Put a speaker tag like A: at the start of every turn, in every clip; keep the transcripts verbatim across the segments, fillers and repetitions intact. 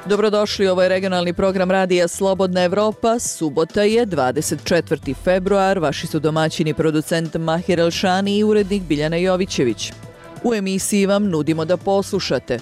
A: Dobrodošli, ovo je regionalni program Radija Slobodna Evropa. Subota je dvadeset četvrti februar. Vaši su domaćini producent Mahir Elšani i urednik Biljana Jovićević. U emisiji vam nudimo da poslušate.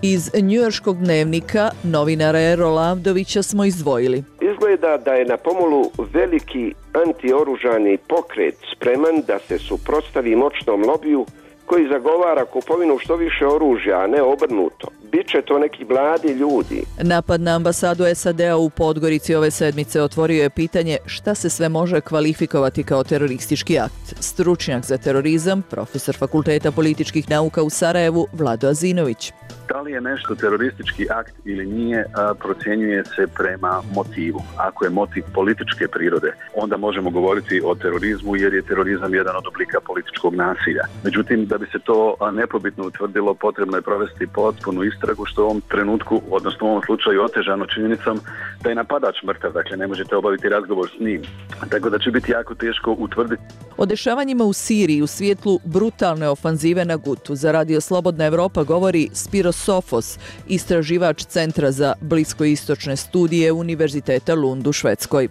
A: Iz njujorškog dnevnika novinara Erola Avdovića smo izdvojili.
B: Izgleda da je na pomolu veliki antioružani pokret spreman da se suprotstavi moćnom lobiju koji zagovara kupovinu što više oružja, a ne obrnuto. Biće to neki mladi ljudi.
A: Napad na ambasadu S A D-a u Podgorici ove sedmice otvorio je pitanje šta se sve može kvalifikovati kao teroristički akt. Stručnjak za terorizam, profesor Fakulteta političkih nauka u Sarajevu, Vlado Azinović.
C: Da li je nešto teroristički akt ili nije, a, procjenjuje se prema motivu. Ako je motiv političke prirode, onda možemo govoriti o terorizmu jer je terorizam jedan od oblika političkog nasilja. Međutim, da bi se to nepobitno utvrdilo, potrebno je provesti potpunu istragu, što u ovom trenutku, odnosno u ovom slučaju otežano činjenicom da je napadač mrtav, dakle ne možete obaviti razgovor s njim. Tako da će biti jako teško utvrditi.
A: O dešavanjima u Siriji u svijetlu brutalne ofanzive na Gutu za Radio Slobodna Evropa govori Spiro Sofos, istraživač Centra za bliskoistočne studije Univerziteta Lund u Švedskoj.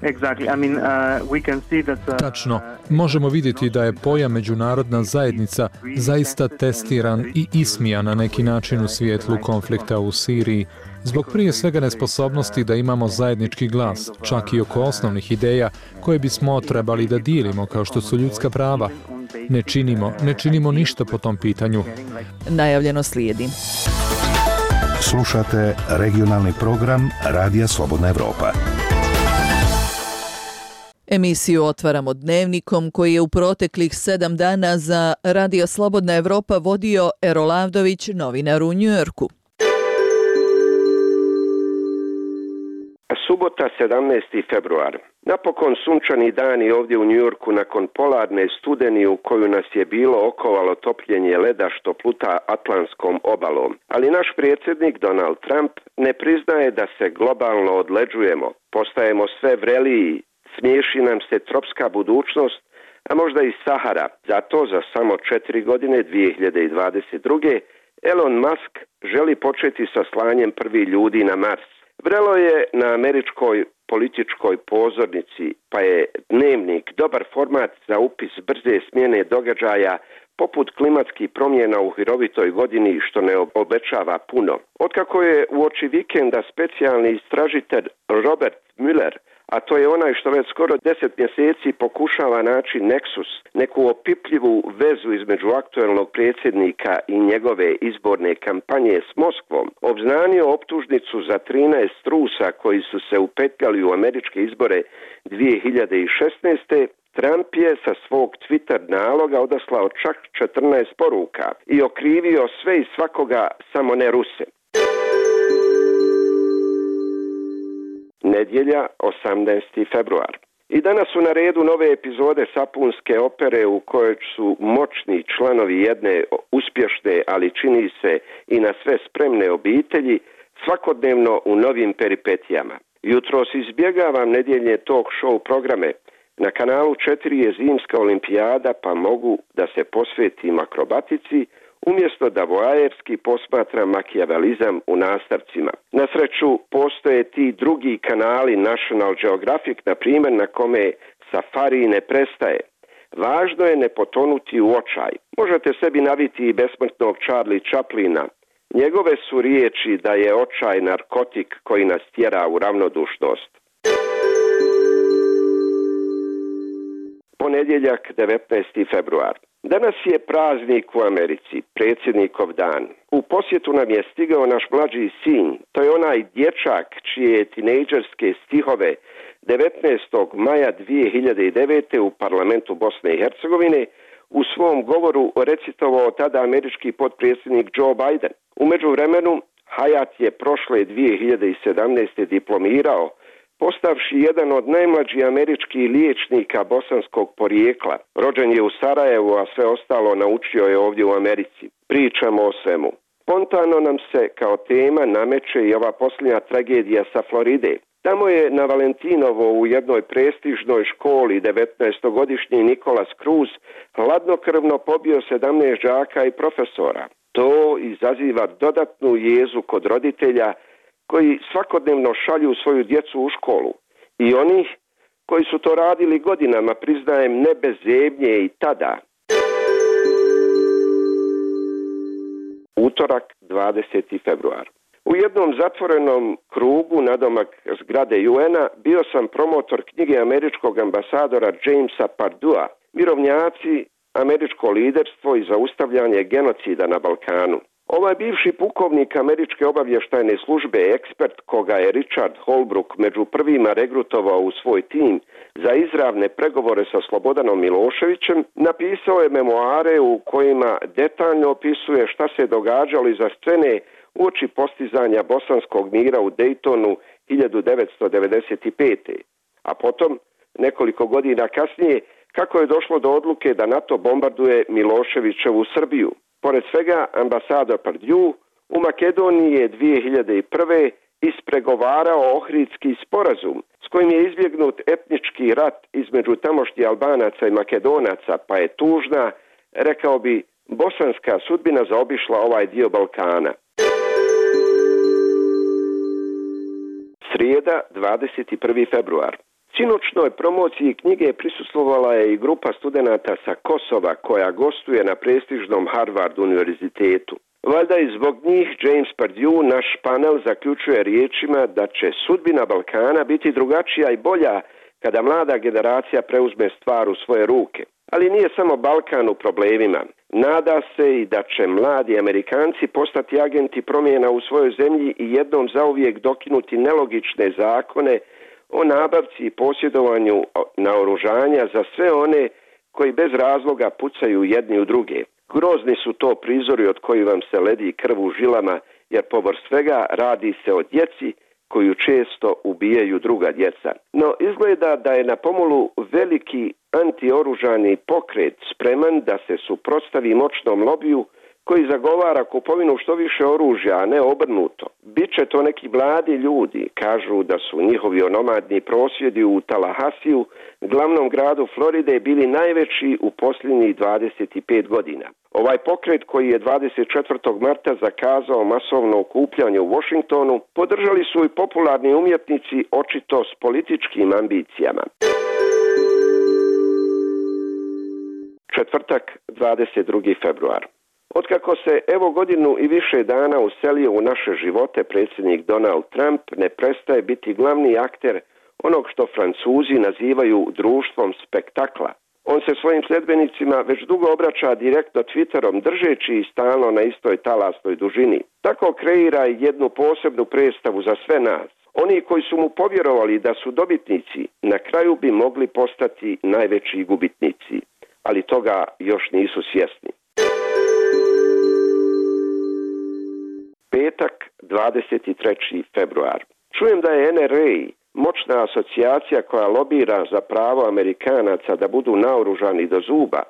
D: Tačno. Možemo vidjeti da je pojam međunarodna zajednica zaista testiran i ismijan na neki način u svijetlu konflikta u Siriji. Zbog prije svega nesposobnosti da imamo zajednički glas, čak i oko osnovnih ideja koje bismo trebali da dijelimo, kao što su ljudska prava. Ne činimo, ne činimo ništa po tom pitanju.
A: Najavljeno slijedi.
E: Slušate regionalni program Radija Slobodna Evropa.
A: Emisiju otvaramo dnevnikom koji je u proteklih sedam dana za Radio Slobodna Evropa vodio Erol Avdović, novinar u Njujorku.
B: Subota sedamnaesti februar. Napokon sunčani dani ovdje u Njujorku nakon polarne studeni u koju nas je bilo okovalo topljenje leda što pluta Atlantskom obalom. Ali naš predsjednik Donald Trump ne priznaje da se globalno odleđujemo. Postajemo sve vreliji, smiješi nam se tropska budućnost, a možda i Sahara. Zato za samo četiri godine, dvije hiljade dvadeset druge. Elon Musk želi početi sa slanjem prvih ljudi na Mars. Vrelo je na američkoj političkoj pozornici, pa je dnevnik dobar format za upis brze smjene događaja poput klimatskih promjena u hirovitoj godini, što ne obećava puno. Otkako je uoči vikenda specijalni istražitelj Robert Mueller, a to je onaj što već skoro deset mjeseci pokušava naći neksus, neku opipljivu vezu između aktuelnog predsjednika i njegove izborne kampanje s Moskvom, obznanio optužnicu za trinaest Rusa koji su se upetljali u američke izbore dvije hiljade šesnaeste. Trump je sa svog Twitter naloga odaslao čak četrnaest poruka i okrivio sve i svakoga, samo ne Ruse. Nedjelja, osamnaesti februar. I danas su na redu nove epizode sapunske opere u kojoj su moćni članovi jedne uspješne, ali čini se i na sve spremne obitelji, svakodnevno u novim peripetijama. Jutros izbjegavam nedjeljne talk show programe. Na kanalu četiri je zimska olimpijada, pa mogu da se posvetim akrobatici, umjesto da voajerski posmatram makijavelizam u nastavcima. Na sreću, postoje ti drugi kanali, National Geographic, na primjer, na kome safari ne prestaje. Važno je ne potonuti u očaj. Možete sebi naviti i besmrtnog Charlie Chaplina. Njegove su riječi da je očaj narkotik koji nas tjera u ravnodušnost. Ponedjeljak, devetnaesti februar. Danas je praznik u Americi, predsjednikov dan. U posjetu nam je stigao naš mlađi sin, to je onaj dječak čije tinejdžerske stihove devetnaestog maja dvije hiljade devete. u parlamentu Bosne i Hercegovine u svom govoru recitovao tada američki potpredsjednik Joe Biden. U međuvremenu, Hayat je prošle dvije hiljade sedamnaeste. diplomirao, postavši jedan od najmlađih američkih liječnika bosanskog porijekla. Rođen je u Sarajevu, a sve ostalo naučio je ovdje u Americi. Pričamo o svemu. Spontano nam se kao tema nameće i ova posljednja tragedija sa Floride. Tamo je na Valentinovo u jednoj prestižnoj školi devetnaestogodišnji Nikolas Cruz hladnokrvno pobio sedamnaest đaka i profesora. To izaziva dodatnu jezu kod roditelja koji svakodnevno šalju svoju djecu u školu i onih koji su to radili godinama, priznajem, ne bez zebnje i tada. Utorak, dvadeseti februar. U jednom zatvorenom krugu nadomak zgrade U N-a bio sam promotor knjige američkog ambasadora Jamesa Pardua, Mirovnjaci, američko liderstvo i zaustavljanje genocida na Balkanu. Ovaj bivši pukovnik američke obavještajne službe, ekspert koga je Richard Holbrooke među prvima regrutovao u svoj tim za izravne pregovore sa Slobodanom Miloševićem, napisao je memoare u kojima detaljno opisuje šta se događalo iza scene uoči postizanja bosanskog mira u Daytonu hiljadu devetsto devedeset pete. A potom, nekoliko godina kasnije, kako je došlo do odluke da NATO bombarduje Miloševićevu Srbiju. Pored svega, ambasador Pardue u Makedoniji je dvije hiljade prve. ispregovarao Ohridski sporazum s kojim je izbjegnut etnički rat između tamošnjih Albanaca i Makedonaca, pa je tužna, rekao bi, bosanska sudbina zaobišla ovaj dio Balkana. Srijeda, dvadeset prvi februar. Sinoćnoj promociji knjige prisustvovala je i grupa studenata sa Kosova koja gostuje na prestižnom Harvard univerzitetu. Valjda i zbog njih James Pardue naš panel zaključuje riječima da će sudbina Balkana biti drugačija i bolja kada mlada generacija preuzme stvar u svoje ruke. Ali nije samo Balkan u problemima. Nada se i da će mladi Amerikanci postati agenti promjena u svojoj zemlji i jednom zauvijek dokinuti nelogične zakone o nabavci i posjedovanju naoružanja za sve one koji bez razloga pucaju jedni u druge. Grozni su to prizori od kojih vam se ledi krv u žilama, jer povrh svega radi se o djeci koju često ubijaju druga djeca. No izgleda da je na pomolu veliki antioružani pokret spreman da se suprotstavi moćnom lobiju koji zagovara kupovinu što više oružja, a ne obrnuto. Biće to neki mladi ljudi, kažu da su njihovi onomadni prosvjedi u Tallahassiju, glavnom gradu Floride, bili najveći u posljednjih dvadeset pet godina. Ovaj pokret koji je dvadeset četvrtog marta zakazao masovno okupljanje u Washingtonu, podržali su i popularni umjetnici očito s političkim ambicijama. Četvrtak, dvadeset drugi februar. Otkako se evo godinu i više dana uselio u naše živote predsjednik Donald Trump, ne prestaje biti glavni akter onog što Francuzi nazivaju društvom spektakla. On se svojim sljedbenicima već dugo obraća direktno Twitterom, držeći ih stalno na istoj talasnoj dužini. Tako kreira jednu posebnu predstavu za sve nas. Oni koji su mu povjerovali da su dobitnici, na kraju bi mogli postati najveći gubitnici, ali toga još nisu svjesni. Petak, dvadeset treći februar. Čujem da je N R A, moćna asocijacija koja lobira za pravo Amerikanaca da budu naoružani do zuba,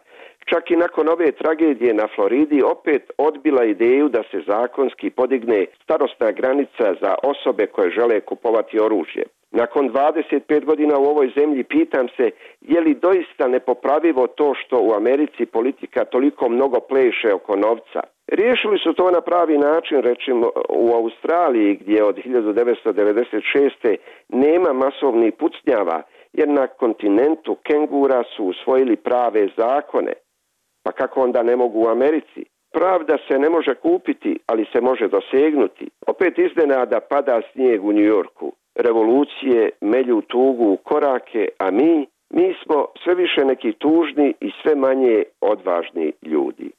B: čak i nakon ove tragedije na Floridi opet odbila ideju da se zakonski podigne starosna granica za osobe koje žele kupovati oružje. Nakon dvadeset pet godina u ovoj zemlji pitam se je li doista nepopravivo to što u Americi politika toliko mnogo pleše oko novca. Riješili su to na pravi način, recimo u Australiji gdje od hiljadu devetsto devedeset šeste nema masovnih pucnjava, jer na kontinentu kengura su usvojili prave zakone. Pa kako onda ne mogu u Americi? Pravda se ne može kupiti, ali se može dosegnuti. Opet iznenada pada snijeg u New Yorku. Revolucije melju tugu u korake, a mi, mi smo sve više neki tužni i sve manje odvažni ljudi.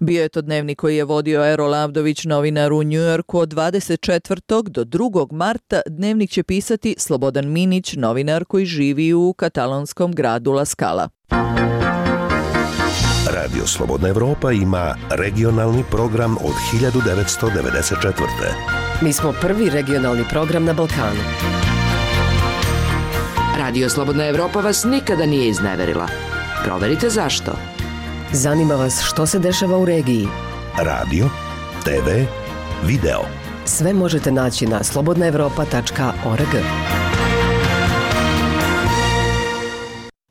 A: Bio je to dnevnik koji je vodio Ero Lavdović, novinar u New Yorku. Od dvadeset četvrtog do drugog marta dnevnik će pisati Slobodan Minić, novinar koji živi u katalonskom gradu La Scala.
E: Radio Slobodna Evropa ima regionalni program od hiljadu devetsto devedeset četvrte.
F: Mi smo prvi regionalni program na Balkanu.
G: Radio Slobodna Evropa vas nikada nije izneverila. Proverite zašto.
F: Zanima vas što se dešava u regiji.
E: Radio, te ve, video.
F: Sve možete naći na slobodna evropa tačka org.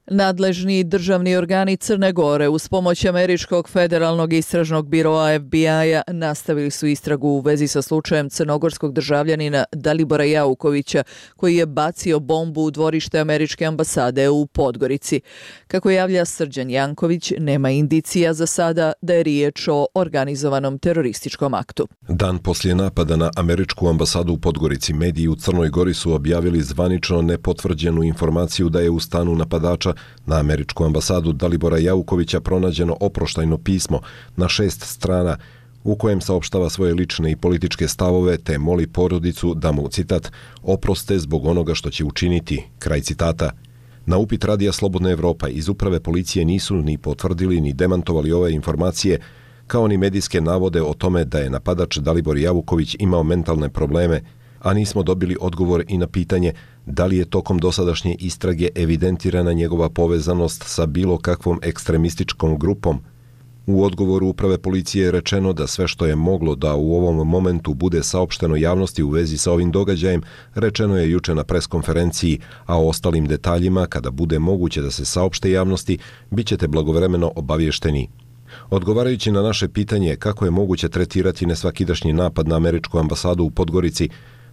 A: Nadležni državni organi Crne Gore uz pomoć Američkog federalnog istražnog biroa F B I-a nastavili su istragu u vezi sa slučajem crnogorskog državljanina Dalibora Jaukovića koji je bacio bombu u dvorište Američke ambasade u Podgorici. Kako javlja Srđan Janković, nema indicija za sada da je riječ o organizovanom terorističkom aktu.
H: Dan poslije napada na Američku ambasadu u Podgorici, mediji u Crnoj Gori su objavili zvanično nepotvrđenu informaciju da je u stanu napadača na Američku ambasadu Dalibora Jaukovića pronađeno oproštajno pismo na šest strana u kojem saopštava svoje lične i političke stavove te moli porodicu da mu, citat, oproste zbog onoga što će učiniti, kraj citata. Na upit Radija Slobodna Evropa iz uprave policije nisu ni potvrdili ni demantovali ove informacije, kao ni medijske navode o tome da je napadač Dalibor Jauković imao mentalne probleme, a nismo dobili odgovor i na pitanje da li je tokom dosadašnje istrage evidentirana njegova povezanost sa bilo kakvom ekstremističkom grupom. U odgovoru uprave policije je rečeno da sve što je moglo da u ovom momentu bude saopšteno javnosti u vezi sa ovim događajem, rečeno je juče na preskonferenciji, a o ostalim detaljima, kada bude moguće da se saopšte javnosti, bit ćete blagovremeno obavješteni. Odgovarajući na naše pitanje kako je moguće tretirati nesvakidašnji napad na Američku ambasadu u Podgorici,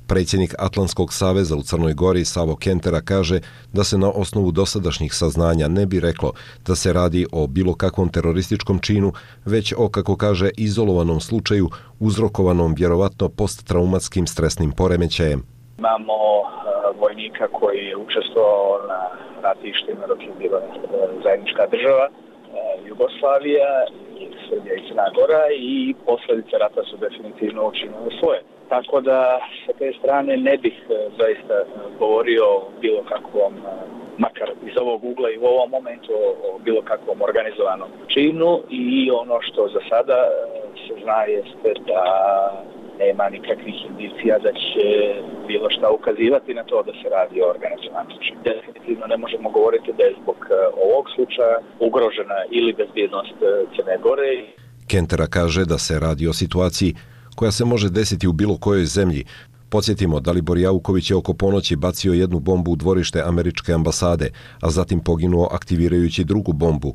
H: predsjednik Atlantskog saveza u Crnoj Gori Savo Kentera kaže da se na osnovu dosadašnjih saznanja ne bi reklo da se radi o bilo kakvom terorističkom činu, već o, kako kaže, izolovanom slučaju uzrokovanom vjerovatno posttraumatskim stresnim poremećajem.
I: Imamo uh, vojnika koji je učestvovao na ratištima dok je bila zajednička država, uh, Jugoslavija, i Srbija i Crna Gora, i posljedice rata su definitivno učinile svoje. Tako da sa te strane ne bih zaista govorio o bilo kakvom, makar iz ovog ugla i u ovom momentu, o bilo kakvom organizovanom činu, i ono što za sada se zna jeste da nema nikakvih indicija da će bilo šta ukazivati na to da se radi o organizovanom činu. Definitivno ne možemo govoriti da je zbog ovog slučaja ugrožena ili bezbjednost Crne Gore.
H: Kentera kaže da se radi o situaciji koja se može desiti u bilo kojoj zemlji. Podsjetimo, Dalibor Jauković je oko ponoći bacio jednu bombu u dvorište Američke ambasade, a zatim poginuo aktivirajući drugu bombu.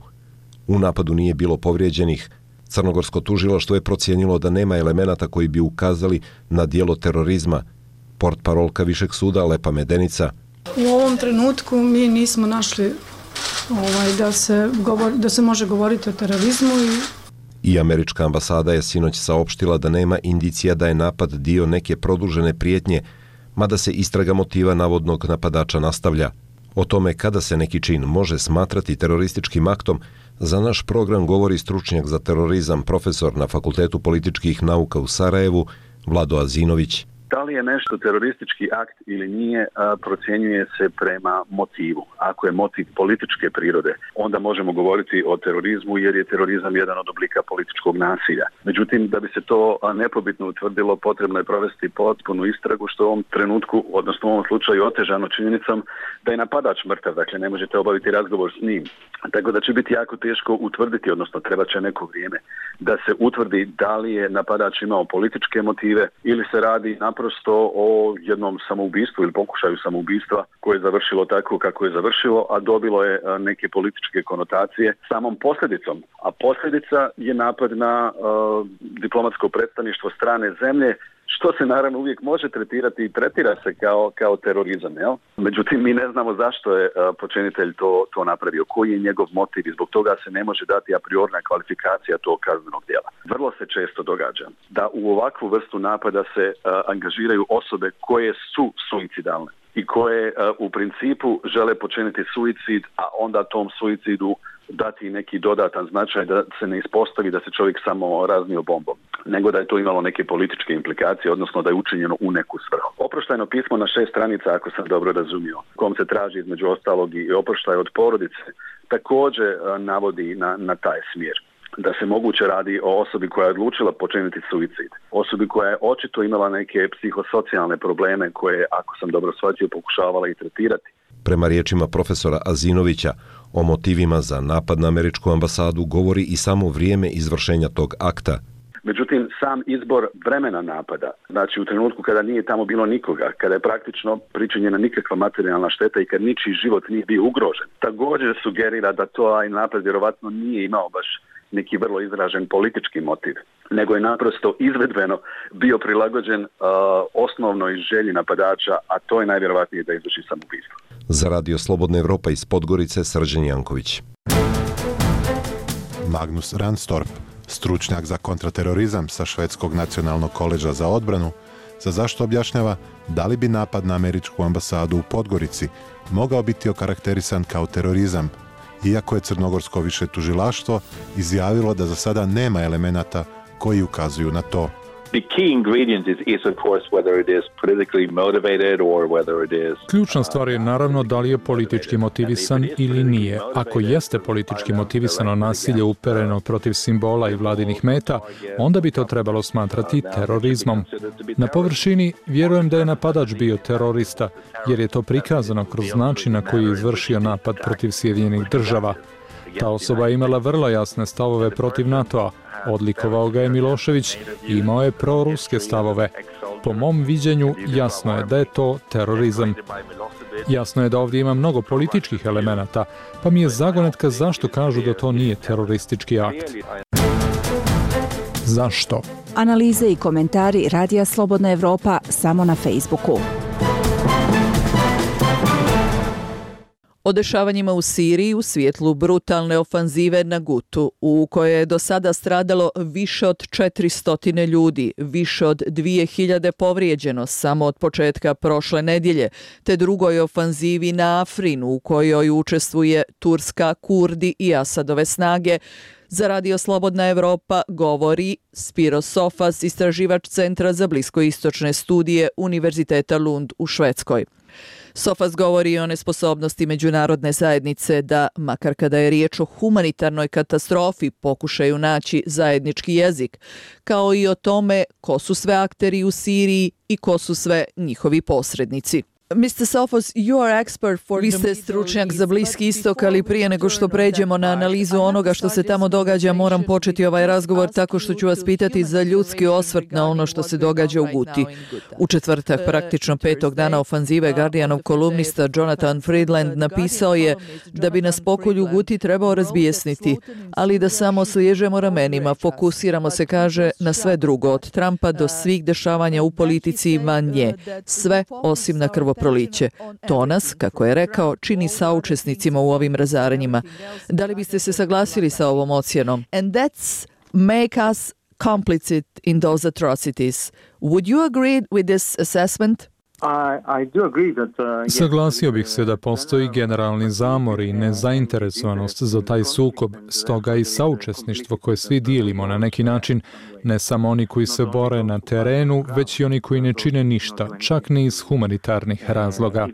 H: U napadu nije bilo povrijeđenih. Crnogorsko tužilaštvo je procijenilo da nema elemenata koji bi ukazali na djelo terorizma. Portparolka Višeg suda Lepa Medenica.
J: U ovom trenutku mi nismo našli ovaj, da, se govor, da se može govoriti o terorizmu i
H: I Američka ambasada je sinoć saopštila da nema indicija da je napad dio neke produžene prijetnje, mada se istraga motiva navodnog napadača nastavlja. O tome kada se neki čin može smatrati terorističkim aktom, za naš program govori stručnjak za terorizam, profesor na Fakultetu političkih nauka u Sarajevu, Vlado Azinović.
C: Da li je nešto teroristički akt ili nije, procjenjuje se prema motivu. Ako je motiv političke prirode, onda možemo govoriti o terorizmu jer je terorizam jedan od oblika političkog nasilja. Međutim, da bi se to nepobitno utvrdilo, potrebno je provesti potpunu istragu, što u ovom trenutku, odnosno u ovom slučaju otežano činjenicom da je napadač mrtav, dakle ne možete obaviti razgovor s njim. Tako da će biti jako teško utvrditi, odnosno treba će neko vrijeme da se utvrdi da li je napadač imao političke motive ili se radi naprosto o jednom samoubistvu ili pokušaju samoubistva koje je završilo tako kako je završilo, a dobilo je neke političke konotacije samom posljedicom. A posljedica je napad na uh, diplomatsko predstavništvo strane zemlje, što se naravno uvijek može tretirati i tretira se kao, kao terorizam. Jel? Međutim, mi ne znamo zašto je uh, počinitelj to, to napravio, koji je njegov motiv i zbog toga se ne može dati a priorna kvalifikacija tog kaznenog djela. Vrlo se često događa da u ovakvu vrstu napada se uh, angažiraju osobe koje su suicidalne i koje uh, u principu žele počiniti suicid, a onda tom suicidu dati neki dodatan značaj da se ne ispostavi da se čovjek samo raznio bombom, nego da je to imalo neke političke implikacije, odnosno da je učinjeno u neku svrhu. Oproštajno pismo na šest stranica, ako sam dobro razumio, kom se traži između ostalog i oproštaj od porodice, također navodi na, na taj smjer. Da se moguće radi o osobi koja je odlučila počiniti suicid, osobi koja je očito imala neke psihosocijalne probleme koje, ako sam dobro shvatio, pokušavala i tretirati.
H: Prema riječima profesora Azinovića, o motivima za napad na Američku ambasadu govori i samo vrijeme izvršenja tog akta.
C: Međutim, sam izbor vremena napada, znači u trenutku kada nije tamo bilo nikoga, kada je praktično pričinjena nikakva materijalna šteta i kad ničiji život nije bio ugrožen, također sugerira da to aj napad vjerovatno nije imao baš neki vrlo izražen politički motiv, nego je naprosto izvedbeno bio prilagođen uh, osnovnoj želji napadača, a to je najvjerovatnije da izvrši samoubistvo.
H: Za Radio Slobodna Evropa iz Podgorice, Srđan Janković.
K: Magnus Ranstorp, stručnjak za kontraterorizam sa Švedskog nacionalnog koleđa za odbranu, za zašto objašnjava da li bi napad na američku ambasadu u Podgorici mogao biti okarakterisan kao terorizam, iako je crnogorsko više tužilaštvo izjavilo da za sada nema elemenata koji ukazuju na to.
D: Ključna stvar je naravno da li je politički motivisan ili nije. Ako jeste politički motivisano nasilje upereno protiv simbola i vladinih meta, onda bi to trebalo smatrati terorizmom. Na površini vjerujem da je napadač bio terorista, jer je to prikazano kroz način na koji je izvršio napad protiv Sjedinjenih država. Ta osoba je imala vrlo jasne stavove protiv NATO-a. Odlikovao ga je Milošević i imao je proruske stavove. Po mom viđenju jasno je da je to terorizam. Jasno je da ovdje ima mnogo političkih elemenata, pa mi je zagonetka zašto kažu da to nije teroristički akt. Zašto?
L: Analize i komentari Radija Slobodna Evropa samo na Facebooku.
A: O dešavanjima u Siriji u svjetlu brutalne ofanzive na Gutu, u kojoj je do sada stradalo više od četiristo ljudi, više od dvije hiljade povrijeđeno samo od početka prošle nedjelje, te drugoj ofanzivi na Afrinu u kojoj učestvuje Turska, Kurdi i Asadove snage, za Radio Slobodna Evropa govori Spiro Sofas, istraživač Centra za bliskoistočne studije Univerziteta Lund u Švedskoj. Sofas govori o nesposobnosti međunarodne zajednice da, makar kada je riječ o humanitarnoj katastrofi, pokušaju naći zajednički jezik, kao i o tome ko su sve akteri u Siriji i ko su sve njihovi posrednici. mister Sofas, you are expert for Vi ste stručnjak za Bliski istok, ali prije nego što pređemo na analizu onoga što se tamo događa, moram početi ovaj razgovor tako što ću vas pitati za ljudski osvrt na ono što se događa u Guti. U četvrtak, praktično petog dana ofanzive, Guardianov kolumnista Jonathan Friedland napisao je da bi nas pokolj u Guti trebao razbijesniti, ali da samo sliježemo ramenima, fokusiramo se, kaže, na sve drugo, od Trumpa do svih dešavanja u politici i van nje, sve osim na krvoproliće. To nas, kako je rekao, čini saučesnicima u ovim razaranjima. Da li biste se saglasili sa ovom ocjenom? And that's make us complicit in those atrocities. Would you agree with this assessment?
D: Saglasio bih se da postoji generalni zamor i nezainteresovanost za taj sukob, stoga i saučesništvo koje svi dijelimo na neki način, ne samo oni koji se bore na terenu, već i oni koji ne čine ništa, čak ni iz humanitarnih razloga.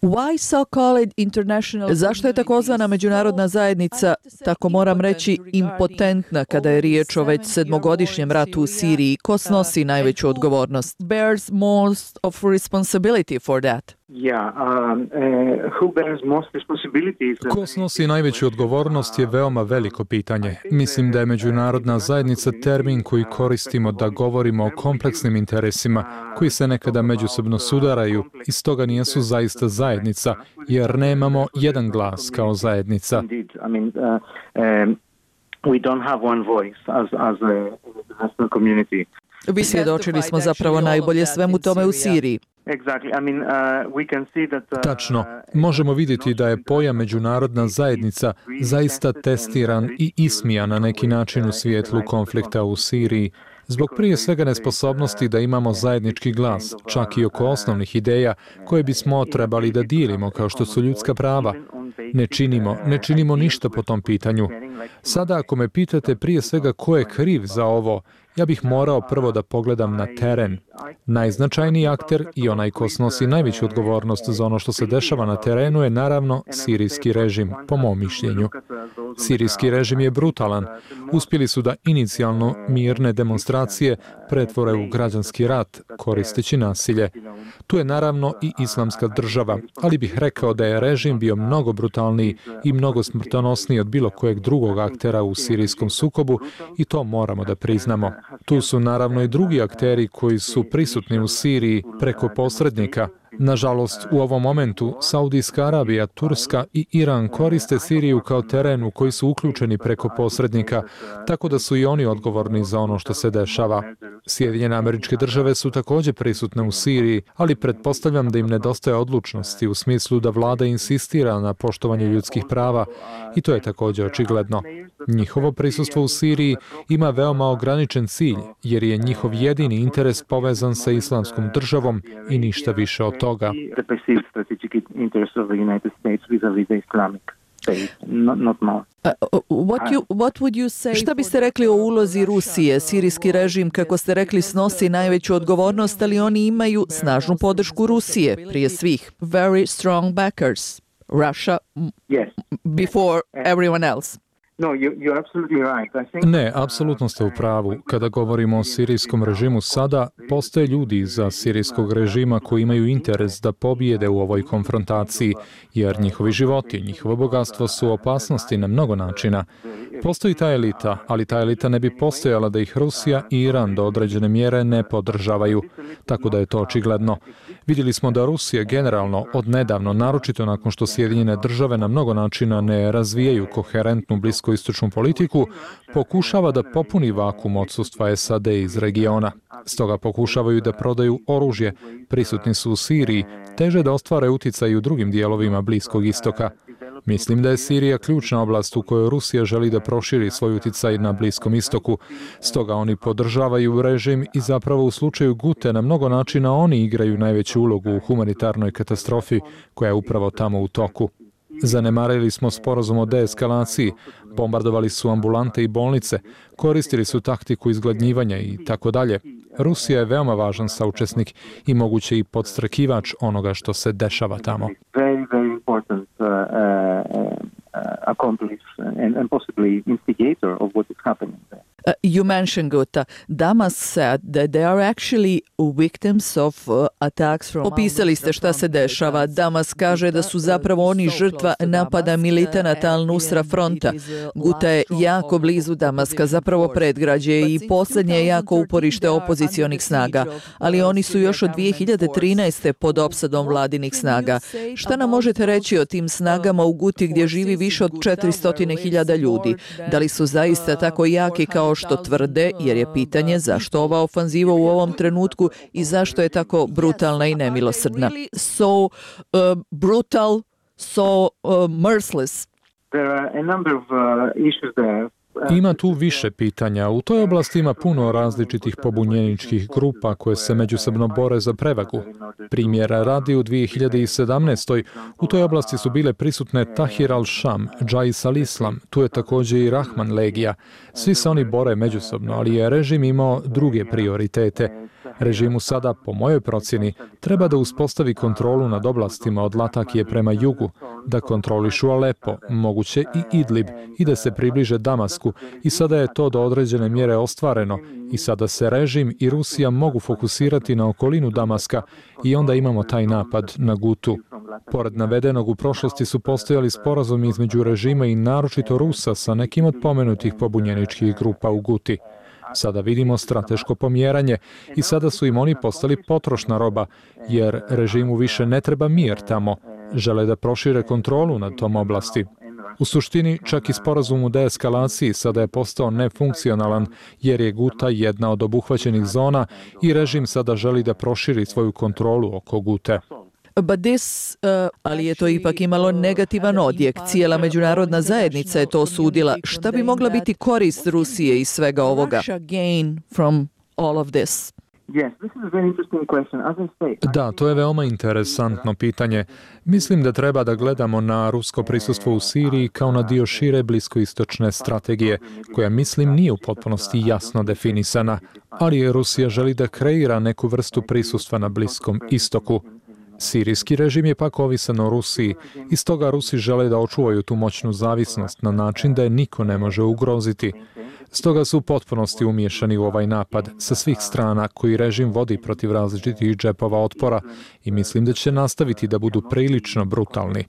A: Why so-called international... Zašto je takozvana međunarodna zajednica, tako moram reći, impotentna kada je riječ o već sedmogodišnjem ratu u Siriji? Ko snosi najveću odgovornost? Bears most of responsibility for that?
D: Ko snosi najveću odgovornost je veoma veliko pitanje. Mislim da je međunarodna zajednica termin koji koristimo da govorimo o kompleksnim interesima koji se nekada međusobno sudaraju i stoga nijesu zaista zajednica, jer nemamo jedan glas kao zajednica.
A: Vi svjedočili smo zapravo najbolje svemu tome u Siriji.
D: Tačno. Možemo vidjeti da je pojam međunarodna zajednica zaista testiran i ismijan na neki način u svjetlu konflikta u Siriji, zbog prije svega nesposobnosti da imamo zajednički glas, čak i oko osnovnih ideja koje bismo trebali da dijelimo, kao što su ljudska prava. Ne činimo, ne činimo ništa po tom pitanju. Sada ako me pitate prije svega ko je kriv za ovo, ja bih morao prvo da pogledam na teren. Najznačajniji akter i onaj ko snosi najveću odgovornost za ono što se dešava na terenu je naravno sirijski režim, po mom mišljenju. Sirijski režim je brutalan. Uspjeli su da inicijalno mirne demonstracije pretvore u građanski rat, koristeći nasilje. Tu je naravno i islamska država, ali bih rekao da je režim bio mnogo brutalniji i mnogo smrtonosniji od bilo kojeg drugog aktera u sirijskom sukobu i to moramo da priznamo. Tu su naravno i drugi akteri koji su prisutni u Siriji preko posrednika. Nažalost, u ovom momentu Saudijska Arabija, Turska i Iran koriste Siriju kao teren u koji su uključeni preko posrednika, tako da su i oni odgovorni za ono što se dešava. Sjedinjene Američke Države su također prisutne u Siriji, ali pretpostavljam da im nedostaje odlučnosti u smislu da vlada insistira na poštovanju ljudskih prava i to je također očigledno. Njihovo prisustvo u Siriji ima veoma ograničen cilj, jer je njihov jedini interes povezan sa islamskom državom i ništa više od toga.
A: Šta biste rekli o ulozi Rusije? Sirijski režim, kako ste rekli, snosi najveću odgovornost, ali oni imaju snažnu podršku Rusije, prije svih. Very strong backers. Russia before everyone else.
D: Ne, apsolutno ste u pravu. Kada govorimo o sirijskom režimu sada, postoje ljudi iza sirijskog režima koji imaju interes da pobijede u ovoj konfrontaciji, jer njihovi životi, njihovo bogatstvo su opasnosti na mnogo načina. Postoji ta elita, ali ta elita ne bi postojala da ih Rusija i Iran do određene mjere ne podržavaju, tako da je to očigledno. Vidjeli smo da Rusija generalno odnedavno, naročito nakon što Sjedinjene države na mnogo načina ne razvijaju koherentnu bliskoistočnu politiku, pokušava da popuni vakum odsustva S A D iz regiona. Stoga pokušavaju da prodaju oružje, prisutni su u Siriji, teže da ostvare uticaj u drugim dijelovima Bliskog istoka. Mislim da je Sirija ključna oblast u kojoj Rusija želi da proširi svoj uticaj na Bliskom istoku. Stoga oni podržavaju režim i zapravo u slučaju Gute na mnogo načina oni igraju najveću ulogu u humanitarnoj katastrofi koja je upravo tamo u toku. Zanemarili smo sporazum o deeskalaciji, bombardovali su ambulante i bolnice, koristili su taktiku izgladnjivanja i tako dalje. Rusija je veoma važan saučesnik i moguće i podstrakivač onoga što se dešava tamo.
M: Very, very important uh, uh, accomplice and, and possibly instigator of what is happening there.
A: Uh, you mentioned Ghouta. Damas said that they are actually victims of uh, attacks from... Opisali ste šta se dešava. Damas kaže da su zapravo oni žrtva napada militanata Al-Nusra fronta. Ghouta je jako blizu Damaska, zapravo predgrađe i posljednje jako uporište opozicionih snaga, ali oni su još od dvije hiljade trinaeste. pod opsadom vladinih snaga. Šta nam možete reći o tim snagama u Guti gdje živi više od četiristo hiljada ljudi? Da li su zaista tako jaki kao što tvrde, jer je pitanje zašto ova ofanziva u ovom trenutku i zašto je tako brutalna i nemilosrdna. So uh, brutal, so uh, merciless.
M: There are a number of uh, issues there.
D: Ima tu više pitanja. U toj oblasti ima puno različitih pobunjeničkih grupa koje se međusobno bore za prevagu. Primjera radi u dvije hiljade sedamnaestoj. u toj oblasti su bile prisutne Tahir al-Sham, Džais al-Islam, tu je također i Rahman legija. Svi se oni bore međusobno, ali je režim imao druge prioritete. Režimu sada, po mojoj procjeni, treba da uspostavi kontrolu nad oblastima od Latakije prema jugu, da kontrolišu Alepo, moguće i Idlib, i da se približe Damasku, i sada je to do određene mjere ostvareno, i sada se režim i Rusija mogu fokusirati na okolinu Damaska i onda imamo taj napad na Gutu. Pored navedenog, u prošlosti su postojali sporazumi između režima i naročito Rusa sa nekim od pomenutih pobunjeničkih grupa u Guti. Sada vidimo strateško pomjeranje i sada su im oni postali potrošna roba, jer režimu više ne treba mir tamo. Žele da prošire kontrolu nad tom oblasti. U suštini, čak i sporazum u deeskalaciji sada je postao nefunkcionalan, jer je Guta jedna od obuhvaćenih zona i režim sada želi da proširi svoju kontrolu oko Gute.
A: But this, uh, ali je to ipak imalo negativan odjek. Cijela međunarodna zajednica je to osudila. Šta bi mogla biti korist Rusije iz svega ovoga? Gain from all of this.
D: Da, to je veoma interesantno pitanje. Mislim da treba da gledamo na rusko prisustvo u Siriji kao na dio šire bliskoistočne strategije, koja mislim nije u potpunosti jasno definisana, ali Rusija želi da kreira neku vrstu prisustva na Bliskom istoku. Sirijski režim je pak ovisan o Rusiji i stoga Rusi žele da očuvaju tu moćnu zavisnost na način da je niko ne može ugroziti. Stoga su u potpunosti umiješani u ovaj napad sa svih strana koji režim vodi protiv različitih džepova otpora i mislim da će nastaviti da budu prilično brutalni.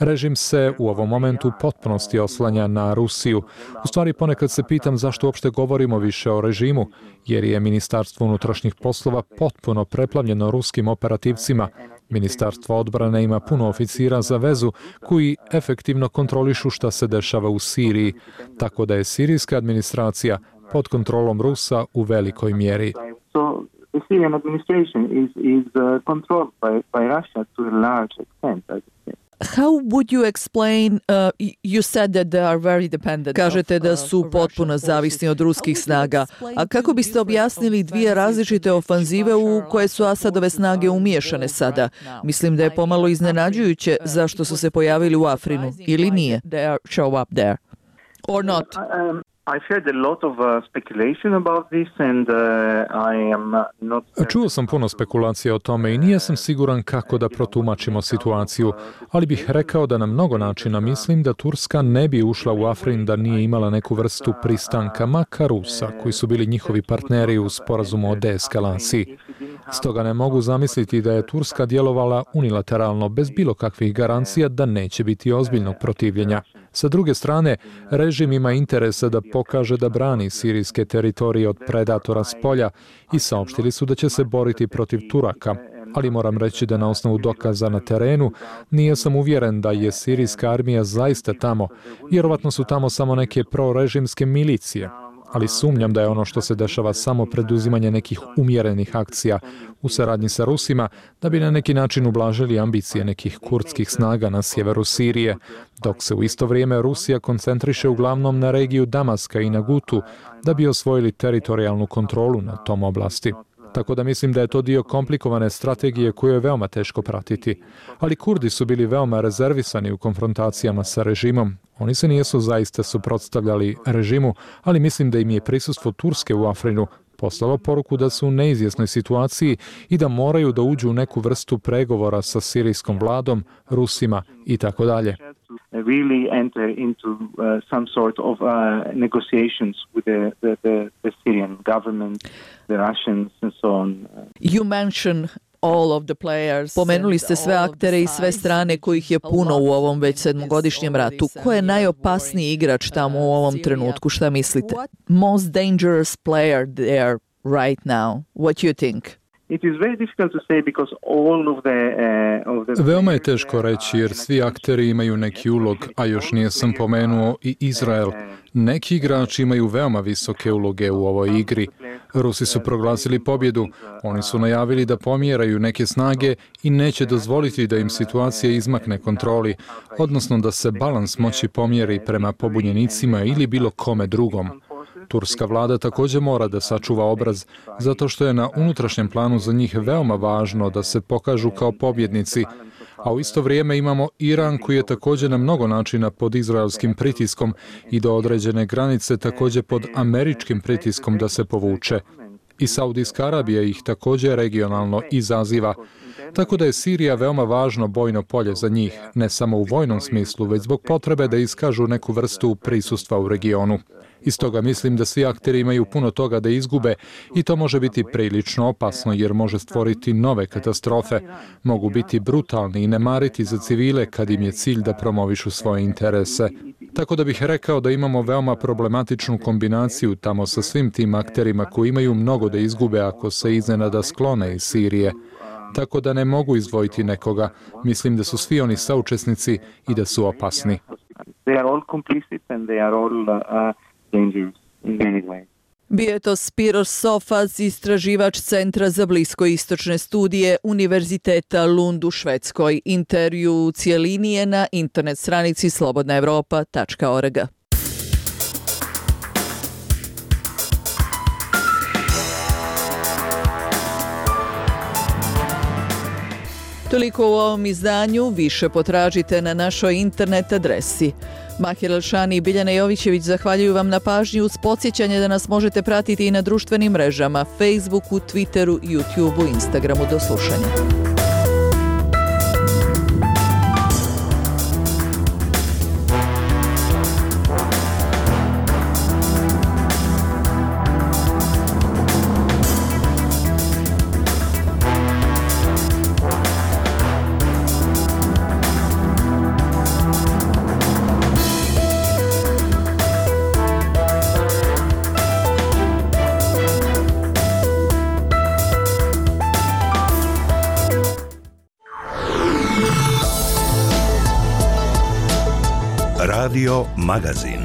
D: Režim se u ovom momentu u potpunosti oslanja na Rusiju. U stvari ponekad se pitam zašto uopšte govorimo više o režimu, jer je Ministarstvo unutrašnjih poslova potpuno preplavljeno ruskim operativcima. Ministarstvo odbrane ima puno oficira za vezu koji efektivno kontrolišu šta se dešava u Siriji, tako da je sirijska administracija pod kontrolom Rusa u velikoj mjeri.
M: So the Syrian administration is is uh, controlled by by Russia to a large extent, I would say.
A: How would you explain, uh, you said that they are very dependent. Kažete da su potpuno zavisni od ruskih snaga. A kako biste objasnili dvije različite ofanzive u koje su Asadove snage umiješane sada? Mislim da je pomalo iznenađujuće zašto su se pojavili u Afrinu, ili nije? They are show up there. Or not?
M: Um, I've heard a lot of uh, speculation about this and uh, I am not...
D: Čuo sam puno spekulacija o tome i nije sam siguran kako da protumačimo situaciju, ali bih rekao da na mnogo načina mislim da Turska ne bi ušla u Afrin da nije imala neku vrstu pristanka makar Rusa, koji su bili njihovi partneri u sporazumu o deeskalaciji. Stoga ne mogu zamisliti da je Turska djelovala unilateralno bez bilo kakvih garancija da neće biti ozbiljnog protivljenja. Sa druge strane, režim ima interesa da pokaže da brani sirijske teritorije od predatora s polja i saopštili su da će se boriti protiv Turaka. Ali moram reći da na osnovu dokaza na terenu nije sam uvjeren da je sirijska armija zaista tamo. Vjerovatno su tamo samo neke prorežimske milicije. Ali sumnjam da je ono što se dešava samo preduzimanje nekih umjerenih akcija u saradnji sa Rusima da bi na neki način ublažili ambicije nekih kurdskih snaga na sjeveru Sirije, dok se u isto vrijeme Rusija koncentriše uglavnom na regiju Damaska i na Gutu da bi osvojili teritorijalnu kontrolu na tom oblasti. Tako da mislim da je to dio komplikovane strategije koju je veoma teško pratiti. Ali Kurdi su bili veoma rezervisani u konfrontacijama sa režimom. Oni se nijesu zaista suprotstavljali režimu, ali mislim da im je prisustvo Turske u Afrinu poslalo poruku da su u neizvjesnoj situaciji i da moraju da uđu u neku vrstu pregovora sa sirijskom vladom, Rusima i tako dalje.
M: Really enter into uh, some sort of uh, negotiations with the, the, the, the Syrian government, the Russians and so on.
A: You mentioned all of the players. Pomenuli ste sve aktere i sve strane kojih je puno u ovom već sedmogodišnjem ratu. Ko je najopasniji igrač tamo u ovom trenutku? Šta mislite? Most dangerous player there right now. What you think?
M: It is very difficult to say because all of the, uh, of the...
D: Veoma je teško reći jer svi akteri imaju neki ulog, a još nije sam pomenuo i Izrael. Neki igrači imaju veoma visoke uloge u ovoj igri. Rusi su proglasili pobjedu, oni su najavili da pomjeraju neke snage i neće dozvoliti da im situacija izmakne kontroli, odnosno da se balans moći pomjeri prema pobunjenicima ili bilo kome drugom. Turska vlada također mora da sačuva obraz, zato što je na unutrašnjem planu za njih veoma važno da se pokažu kao pobjednici, a u isto vrijeme imamo Iran koji je također na mnogo načina pod izraelskim pritiskom i do određene granice također pod američkim pritiskom da se povuče. I Saudijska Arabija ih također regionalno izaziva. Tako da je Sirija veoma važno bojno polje za njih, ne samo u vojnom smislu, već zbog potrebe da iskažu neku vrstu prisustva u regionu. Iz toga mislim da svi akteri imaju puno toga da izgube i to može biti prilično opasno jer može stvoriti nove katastrofe. Mogu biti brutalni i ne mariti za civile kad im je cilj da promovišu svoje interese. Tako da bih rekao da imamo veoma problematičnu kombinaciju tamo sa svim tim akterima koji imaju mnogo da izgube ako se iznenada sklone iz Sirije. Tako da ne mogu izdvojiti nekoga. Mislim da su svi oni saučesnici i da su opasni.
M: They are all complicit and they are all uh, dangerous in many ways.
A: Bio je to Spiros Sofas, istraživač Centra za bliskoistočne studije Univerziteta Lund u Švedskoj. Intervju u cijelini je na internet stranici slobodna evropa tačka org. Toliko u ovom izdanju, više potražite na našoj internet adresi. Mahir El-Shani i Biljana Jovićević zahvaljuju vam na pažnji uz podsjećanje da nas možete pratiti i na društvenim mrežama, Facebooku, Twitteru, YouTubeu, Instagramu. Do slušanja.
E: Radio Magazin.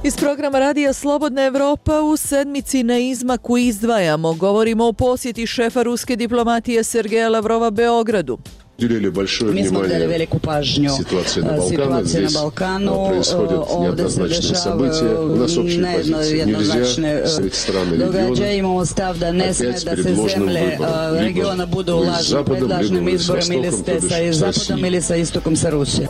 A: Iz programa Radija Slobodna Evropa u sedmici na izmaku izdvajamo. Govorimo o posjeti šefa ruske diplomatije Sergeja Lavrova Beogradu.
N: Mi smo dali veliku pažnju situacije na Balkanu, ovdje se dešavaju nejednoznačne događaje. Imamo stav da ne sme da se zemlje regiona budu u lažnim izborima ili ste sa zapadom ili sa istokom sa Rusijom.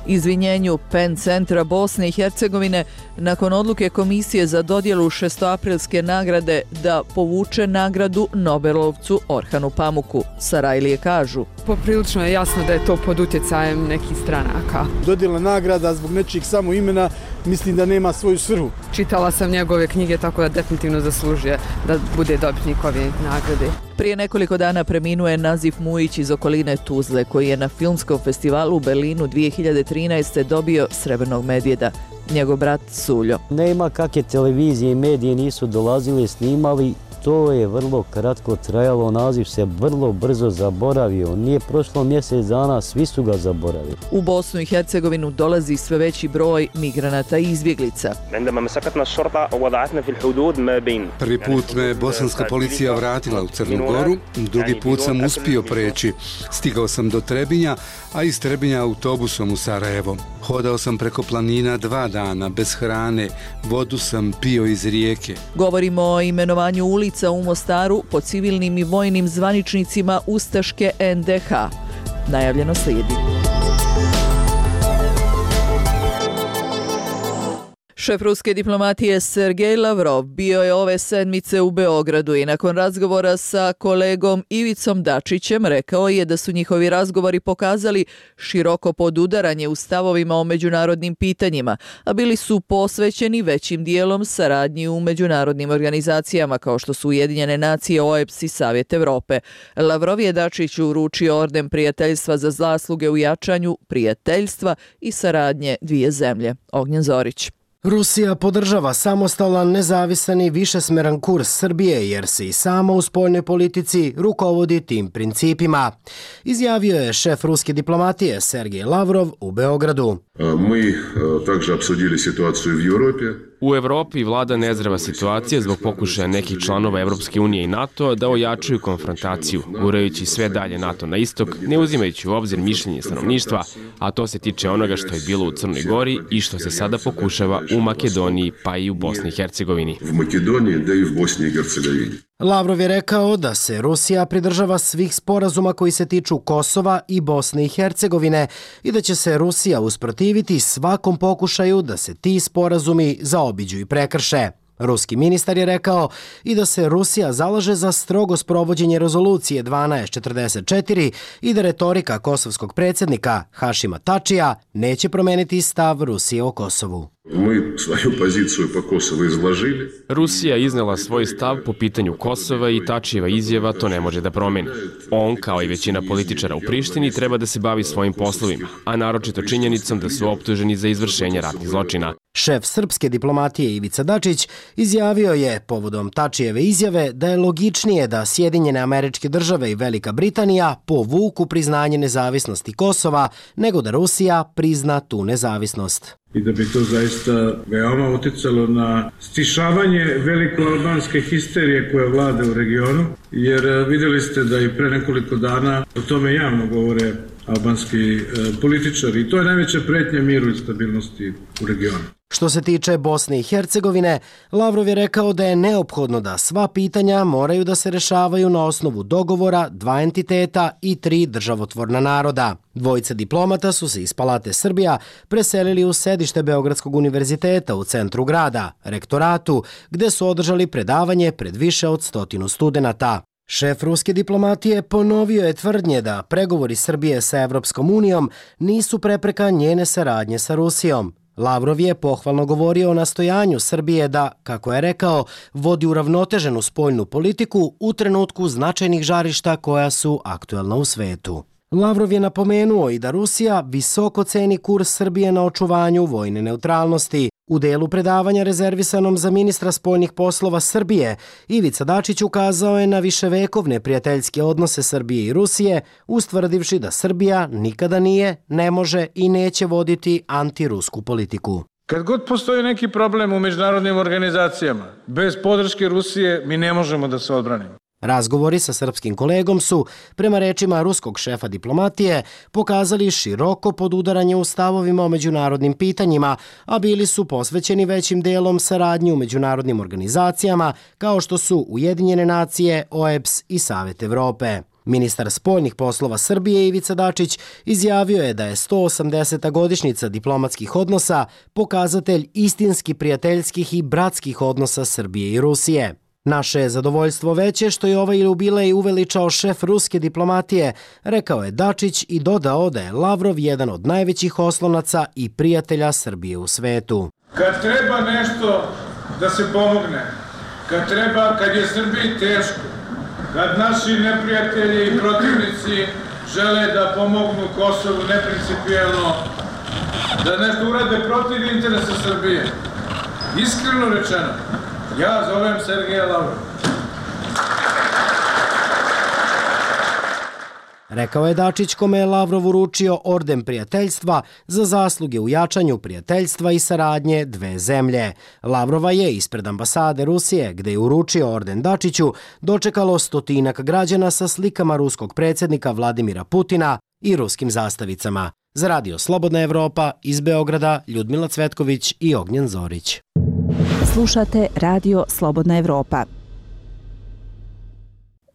A: Izvinjenju Penn centra Bosne i Hercegovine nakon odluke Komisije za dodjelu šestoaprilske nagrade da povuče nagradu Nobelovcu Orhanu Pamuku. Sarajlije kažu.
O: Poprilično je jasno da je to pod utjecajem nekih stranaka.
P: Dodjela nagrada zbog nečijeg samo imena mislim da nema svoju svrhu.
O: Čitala sam njegove knjige, tako da definitivno zaslužuje da bude dobitnik ove nagrade.
A: Prije nekoliko dana preminuo je Nazif Mujić iz okoline Tuzle, koji je na filmskom festivalu u Berlinu dvije hiljade trinaeste. dobio Srebrnog medvjeda. Njegov brat Suljo.
Q: Nema kakve televizije i medije nisu dolazili, snimali. To je vrlo kratko trajalo, naziv se vrlo brzo zaboravio. Nije prošlo mjesec dana, svi su ga zaboravili.
A: U Bosnu i Hercegovinu dolazi sve veći broj migranata i izbjeglica.
R: Prvi put me bosanska policija vratila u Crnu Goru, drugi put sam uspio preći. Stigao sam do Trebinja, a iz Trebinja autobusom u Sarajevo. Hodao sam preko planina dva dana, bez hrane, vodu sam pio iz rijeke.
A: Govorimo o imenovanju ulica u Mostaru po civilnim i vojnim zvaničnicima ustaške en de ha. Najavljeno slijedi. Šef ruske diplomatije Sergej Lavrov bio je ove sedmice u Beogradu i nakon razgovora sa kolegom Ivicom Dačićem rekao je da su njihovi razgovori pokazali široko podudaranje u stavovima o međunarodnim pitanjima, a bili su posvećeni većim dijelom saradnji u međunarodnim organizacijama kao što su Ujedinjene nacije, o e b s i Savjet Evrope. Lavrov je Dačiću uručio orden prijateljstva za zasluge u jačanju prijateljstva i saradnje dvije zemlje. Ognjen Zorić.
S: Rusija podržava samostalan, nezavisan i višesmeran kurs Srbije jer se i sama u spoljnoj politici rukovodi tim principima. Izjavio je šef ruske diplomatije Sergej Lavrov u Beogradu.
T: Mi također obsudili situaciju u Europi.
U: U Evropi vlada nezdrava situacija zbog pokušaja nekih članova Evropske unije i NATO da ojačaju konfrontaciju, gurajući sve dalje NATO na istok, ne uzimajući u obzir mišljenje stanovništva, a to se tiče onoga što je bilo u Crnoj Gori i što se sada pokušava u Makedoniji pa i u Bosni i Hercegovini.
T: U Makedoniji da i u Bosni i Hercegovini.
S: Lavrov je rekao da se Rusija pridržava svih sporazuma koji se tiču Kosova i Bosne i Hercegovine i da će se Rusija usprotiviti svakom pokušaju da se ti sporazumi zaobiđu i prekrše. Ruski ministar je rekao i da se Rusija zalaže za strogo sprovođenje rezolucije dvanaest četrdeset četiri i da retorika kosovskog predsjednika Hašima Tačija neće promeniti stav Rusije o Kosovu.
T: Mi svoju poziciju po Kosovu izložili.
U: Rusija je iznela svoj stav po pitanju Kosova i Tačijeva izjava to ne može da promeni. On, kao i većina političara u Prištini, treba da se bavi svojim poslovima, a naročito činjenicom da su optuženi za izvršenje ratnih zločina.
S: Šef srpske diplomatije Ivica Dačić izjavio je povodom Tačijeve izjave da je logičnije da Sjedinjene Američke Države i Velika Britanija povuku priznanje nezavisnosti Kosova nego da Rusija prizna tu nezavisnost.
V: I da bi to zaista veoma uticalo na stišavanje velikoalbanske histerije koja vlada u regionu, jer vidjeli ste da i pre nekoliko dana o tome javno govore albanski političari i to je najveća pretnja miru i stabilnosti u regionu.
S: Što se tiče Bosne i Hercegovine, Lavrov je rekao da je neophodno da sva pitanja moraju da se rešavaju na osnovu dogovora dva entiteta i tri državotvorna naroda. Dvojica diplomata su se iz Palate Srbija preselili u sedište Beogradskog univerziteta u centru grada, rektoratu, gde su održali predavanje pred više od stotinu studenata. Šef ruske diplomatije ponovio je tvrdnje da pregovori Srbije sa Evropskom unijom nisu prepreka njene saradnje sa Rusijom. Lavrov je pohvalno govorio o nastojanju Srbije da, kako je rekao, vodi uravnoteženu spoljnu politiku u trenutku značajnih žarišta koja su aktuelna u svetu. Lavrov je napomenuo i da Rusija visoko ceni kurs Srbije na očuvanju vojne neutralnosti. U delu predavanja rezervisanom za ministra spoljnih poslova Srbije, Ivica Dačić ukazao je na viševekovne prijateljske odnose Srbije i Rusije, ustvrdivši da Srbija nikada nije, ne može i neće voditi antirusku politiku.
V: Kad god postoji neki problem u međunarodnim organizacijama, bez podrške Rusije mi ne možemo da se odbranimo.
S: Razgovori sa srpskim kolegom su, prema rečima ruskog šefa diplomatije, pokazali široko podudaranje u stavovima o međunarodnim pitanjima, a bili su posvećeni većim delom saradnji u međunarodnim organizacijama kao što su Ujedinjene nacije, O E B S i Savet Evrope. Ministar spoljnih poslova Srbije Ivica Dačić izjavio je da je sto osamdeseta godišnjica diplomatskih odnosa pokazatelj istinski prijateljskih i bratskih odnosa Srbije i Rusije. Naše je zadovoljstvo veće što je ovaj jubilej uveličao šef ruske diplomatije, rekao je Dačić i dodao da je Lavrov jedan od najvećih oslonaca i prijatelja Srbije u svetu.
V: Kad treba nešto da se pomogne, kad treba, kad je Srbiji teško, kad naši neprijatelji i protivnici žele da pomognu Kosovu neprincipijelno, da nešto urade protiv interesa Srbije, iskreno rečeno, ja zovem Sergeja Lavrova.
S: Rekao je Dačić, kome je Lavrov uručio orden prijateljstva za zasluge u jačanju prijateljstva i saradnje dve zemlje. Lavrova je ispred ambasade Rusije, gde je uručio orden Dačiću, dočekalo stotinak građana sa slikama ruskog predsjednika Vladimira Putina i ruskim zastavicama. Za Radio Slobodna Evropa iz Beograda, Ljudmila Cvetković i Ognjen Zorić.
L: Slušate Radio Slobodna Evropa.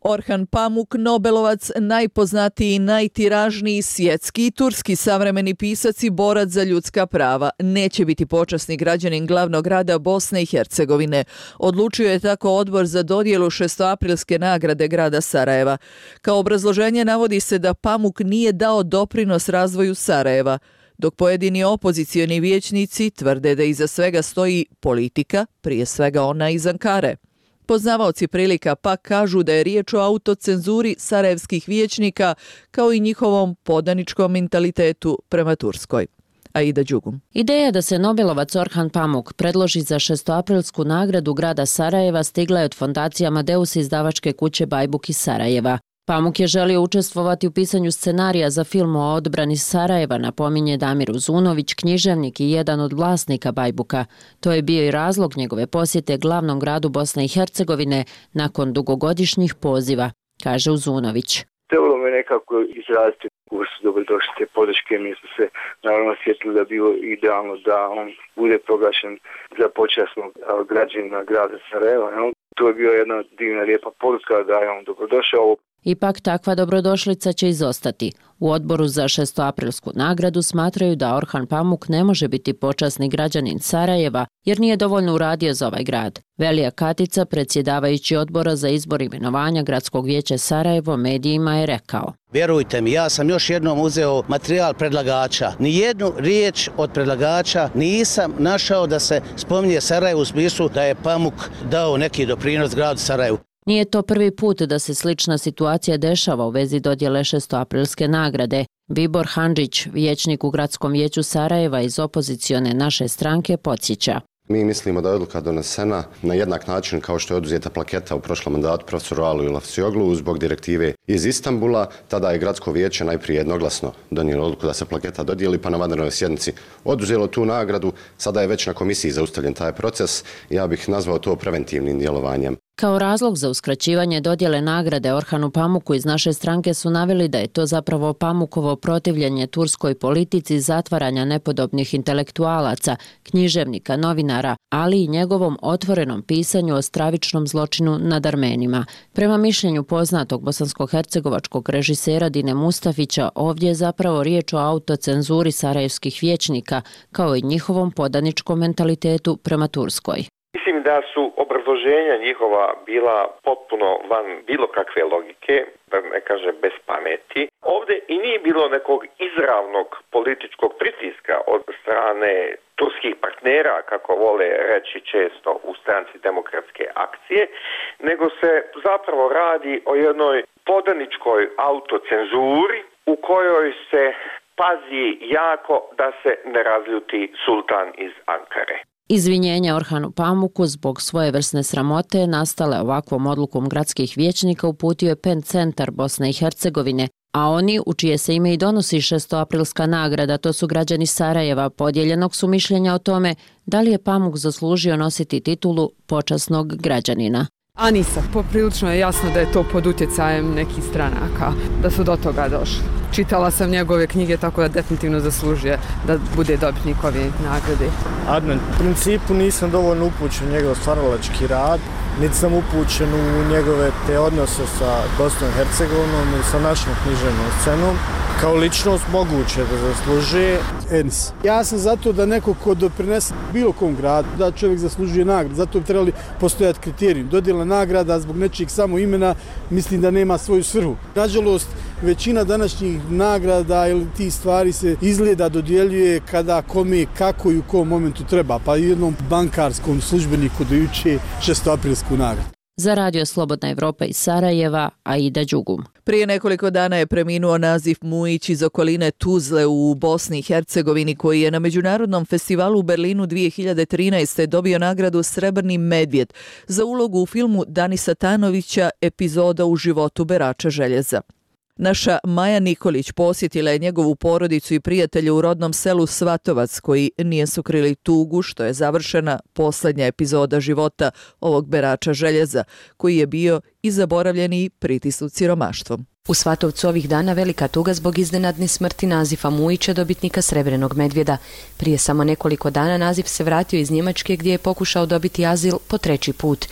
A: Orhan Pamuk, Nobelovac, najpoznatiji i najtiražniji svjetski i turski savremeni pisac i borac za ljudska prava, neće biti počasni građanin glavnog grada Bosne i Hercegovine. Odlučio je tako odbor za dodjelu šestoaprilske nagrade grada Sarajeva. Kao obrazloženje navodi se da Pamuk nije dao doprinos razvoju Sarajeva, dok pojedini opozicioni vijećnici tvrde da iza svega stoji politika, prije svega ona iz Ankare. Poznavaoci prilika pak kažu da je riječ o autocenzuri sarajevskih vijećnika kao i njihovom podaničkom mentalitetu prema Turskoj. Aida Đugum.
B: Ideja da se Nobelovac Orhan Pamuk predloži za šestoaprilsku nagradu grada Sarajeva stigla je od fondacije Amadeus izdavačke kuće Bajbuk iz Sarajeva. Pamuk je želio učestvovati u pisanju scenarija za film o odbrani Sarajeva, napominje Damir Uzunović, književnik i jedan od vlasnika Bajbuka. To je bio i razlog njegove posjete glavnom gradu Bosne i Hercegovine nakon dugogodišnjih poziva, kaže Uzunović.
G: Trebalo me nekako izraziti u vrstu dobrodošlite podrške, mi smo se naravno sjetili da bilo idealno da on bude proglašen za počasnog građanina grada Sarajeva. To je bio jedna divna lijepa poruka da je on dobrodošao.
B: Ipak takva dobrodošlica će izostati. U odboru za šestoaprilsku nagradu smatraju da Orhan Pamuk ne može biti počasni građanin Sarajeva jer nije dovoljno uradio za ovaj grad. Velija Katica, predsjedavajući odbora za izbor imenovanja Gradskog vijeća Sarajevo, medijima je rekao:
W: Vjerujte mi, ja sam još jednom uzeo materijal predlagača. Nijednu riječ od predlagača nisam našao da se spominje Sarajevo u smislu da je Pamuk dao neki doprinos gradu Sarajevu.
B: Nije to prvi put da se slična situacija dešava u vezi dodjele šestoaprilske nagrade. Vibor Handžić, vijećnik u Gradskom vijeću Sarajeva iz opozicione naše stranke, podsjeća.
X: Mi mislimo da je odluka donesena na jednak način kao što je oduzeta plaketa u prošlom mandatu profesoru Alu Ilafcioglu zbog direktive iz Istanbula. Tada je Gradsko vijeće najprije jednoglasno donijelo odluku da se plaketa dodijeli, pa na vanrednoj sjednici oduzelo tu nagradu. Sada je već na komisiji zaustavljen taj proces. Ja bih nazvao to preventivnim djelovanjem.
B: Kao razlog za uskraćivanje dodjele nagrade Orhanu Pamuku iz naše stranke su naveli da je to zapravo Pamukovo protivljenje turskoj politici zatvaranja nepodobnih intelektualaca, književnika, novinara, ali i njegovom otvorenom pisanju o stravičnom zločinu nad Armenima. Prema mišljenju poznatog bosansko-hercegovačkog režisera Dine Mustafića, ovdje je zapravo riječ o autocenzuri sarajevskih vijećnika, kao i njihovom podaničkom mentalitetu prema Turskoj.
C: Mislim da su obrazloženja njihova bila potpuno van bilo kakve logike, da ne kaže bez pameti. Ovdje i nije bilo nekog izravnog političkog pritiska od strane turskih partnera, kako vole reći često u stranci Demokratske akcije, nego se zapravo radi o jednoj podaničkoj autocenzuri u kojoj se pazi jako da se ne razljuti sultan iz Ankare.
B: Izvinjenje Orhanu Pamuku zbog svojevrsne sramote nastale ovakvom odlukom gradskih vijećnika uputio je PEN centar Bosne i Hercegovine, a oni, u čije se ime i donosi šestoaprilska nagrada, to su građani Sarajeva, podijeljenog su mišljenja o tome da li je Pamuk zaslužio nositi titulu počasnog građanina.
O: A nisam. Poprilično je jasno da je to pod utjecajem nekih stranaka, da su do toga došli. Čitala sam njegove knjige, tako da definitivno zaslužuje da bude dobitnik ove nagrade.
F: Adnan, u principu nisam dovoljno upućen u njegov stvaralački rad, niti sam upućen u njegove te odnose sa Bosnom i Hercegovinom i sa našom književnom scenom. Kao ličnost moguće da zaslužuje.
P: Enis. Ja sam zato da neko ko doprinese bilo kom gradu, da čovjek zaslužuje nagradu. Zato bi trebali postojati kriterijum. Dodjela nagrada zbog nečijeg samo imena mislim da nema svoju svrhu. Nažalost, većina današnjih nagrada ili ti stvari se izgleda dodjeljuje kada kome, kako i u kom momentu treba. Pa i jednom bankarskom službeniku do juče šestoaprilsku nagradu.
B: Za Radio Slobodna Evropa iz Sarajeva, Aida Đugum.
A: Prije nekoliko dana je preminuo Nazif Mujić iz okoline Tuzle u Bosni i Hercegovini, koji je na Međunarodnom festivalu u Berlinu dvije hiljade trinaeste. dobio nagradu Srebrni medvjed za ulogu u filmu Danisa Tanovića Epizoda u životu berača željeza. Naša Maja Nikolić posjetila je njegovu porodicu i prijatelje u rodnom selu Svatovac, koji nije su krili tugu što je završena posljednja epizoda života ovog berača željeza, koji je bio i zaboravljeni pritisnut siromaštvom.
I: U Svatovcu ovih dana velika tuga zbog iznenadne smrti Nazifa Mujića, dobitnika Srebrnog medvjeda. Prije samo nekoliko dana Nazif se vratio iz Njemačke gdje je pokušao dobiti azil po treći put.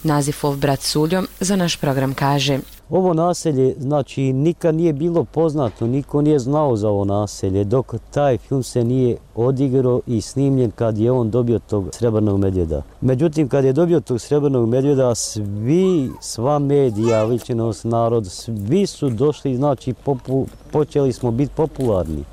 I: Nazifov brat Suljo za naš program kaže:
Q: Ovo naselje, znači, nikad nije bilo poznato, niko nije znao za ovo naselje, dok taj film se nije odigrao i snimljen kad je on dobio tog Srebrnog medvjeda. Međutim, kad je dobio tog Srebrnog medvjeda, svi, sva medija, ličnost, narod, svi su došli, znači, popu, počeli smo biti popularni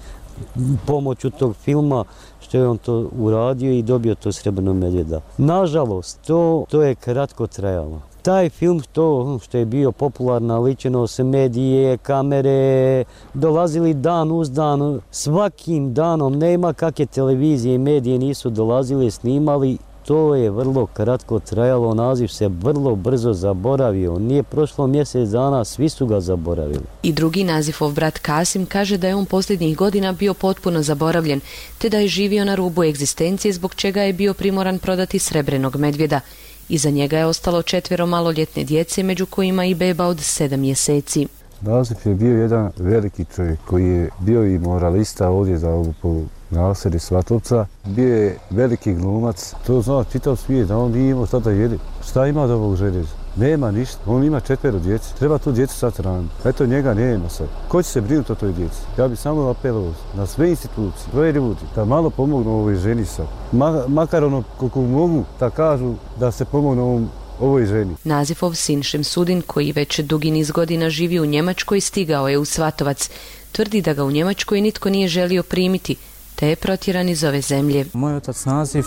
Q: pomoću tog filma, što je on to uradio i dobio to Srebrnog medvjeda. Nažalost, to, to je kratko trajalo. Taj film, to što je bio popularna ličnost, medije, kamere, dolazili dan uz dan, svakim danom, nema kakve televizije i medije nisu dolazili, snimali, to je vrlo kratko trajalo, Naziv se vrlo brzo zaboravio, nije prošlo mjesec dana, svi su ga zaboravili.
I: I drugi Nazifov brat Kasim kaže da je on posljednjih godina bio potpuno zaboravljen, te da je živio na rubu egzistencije, zbog čega je bio primoran prodati Srebrnog medvjeda. Iza njega je ostalo četvero maloljetne djece, među kojima i beba od sedam mjeseci.
J: Nazif je bio jedan veliki čovjek koji je bio i moralista ovdje za ovu po naselju Svatovca. Bio je veliki glumac, to zna čitav svijet, da on nije imao šta da jede. Šta ima od ovog željeza? Nema ništa, on ima četvero djece, treba tu djecu sad hraniti. Eto njega nema sad. Ko će se brinuti o toj djeci? Ja bih samo apelovao na sve institucije, sve ljudi, da malo pomognu ovoj ženi sad. Ma, makar ono koliko mogu da kažu da se pomognu ovom ovoj ženi.
I: Nazifov sin Šemsudin, koji već dugi niz godina živi u Njemačkoj, stigao je u Svatovac. Tvrdi da ga u Njemačkoj nitko nije želio primiti, te je protjeran iz ove zemlje.
Y: Moj otac Nazif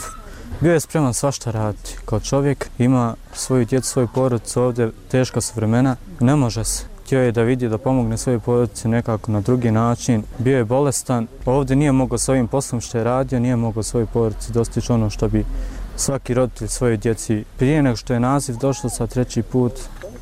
Y: bio je spreman svašta raditi. Kao čovjek ima svoju djecu, svoju porodicu, ovdje teška su vremena, ne može se. Htio je da vidi, da pomogne svojoj porodici nekako na drugi način. Bio je bolestan, ovdje nije mogao s ovim poslom što je radio, nije mogao svojoj porodici dostići ono što bi svaki roditelj svojoj djeci. Prije nego što je Nazif došao sa treći put,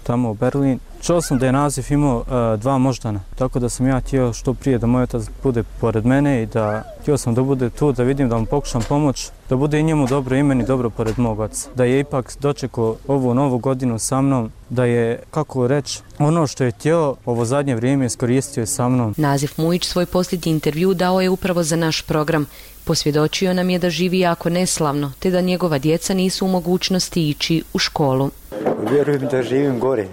Y: tamo u Berlin. Čuo sam da je naziv imao uh, dva moždana, tako da sam ja htio što prije da moj otac bude pored mene i da htio sam da bude tu, da vidim, da mu pokušam pomoć, da bude i njemu dobro ime i dobro pored mog oca. Da je ipak dočekao ovu novu godinu sa mnom, da je, kako reći, ono što je htio ovo zadnje vrijeme iskoristio je sa mnom.
I: Nazif Mujić svoj posljednji intervju dao je upravo za naš program. Posvjedočio nam je da živi jako neslavno, te da njegova djeca nisu u mogućnosti ići u školu.
D: Vjerujem da živim gore.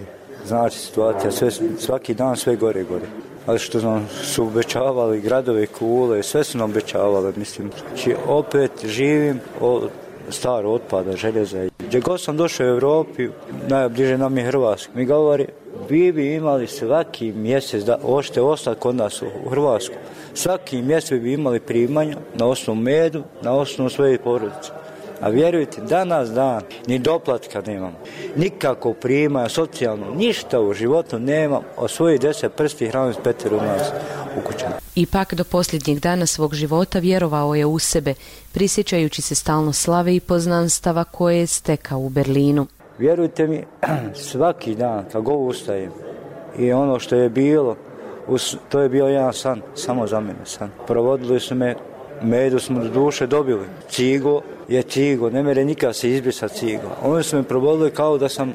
D: Znači situacija, sve, svaki dan sve gore gore. Ali što nam su obećavali gradove, kule, sve su nam obećavali, mislim. Znači opet živim od staro otpada, željeza. Gdje god sam došao u Europi, najbliže nam je Hrvatska. Mi govori, vi bi imali svaki mjesec, da hoćete ostati kod nas u Hrvatsku, svaki mjesec bi imali primanja na osnovu medu, na osnovu svoje porodice. A vjerujte, danas dan, ni doplatka nemam, nikako primanja, socijalno, ništa u životu nemam, od svojih deset prsti hranim s petero nas u kućama.
I: Ipak do posljednjeg dana svog života vjerovao je u sebe, prisjećajući se stalno slave i poznanstava koje je stekao u Berlinu.
D: Vjerujte mi, svaki dan, kad god ustajem, i ono što je bilo, to je bio jedan san, samo za mene san. Provodili su me, medu smo do duše dobili, cigo je cigo, ne mere nikad se izbrisati cigo. Oni su me provodili kao da sam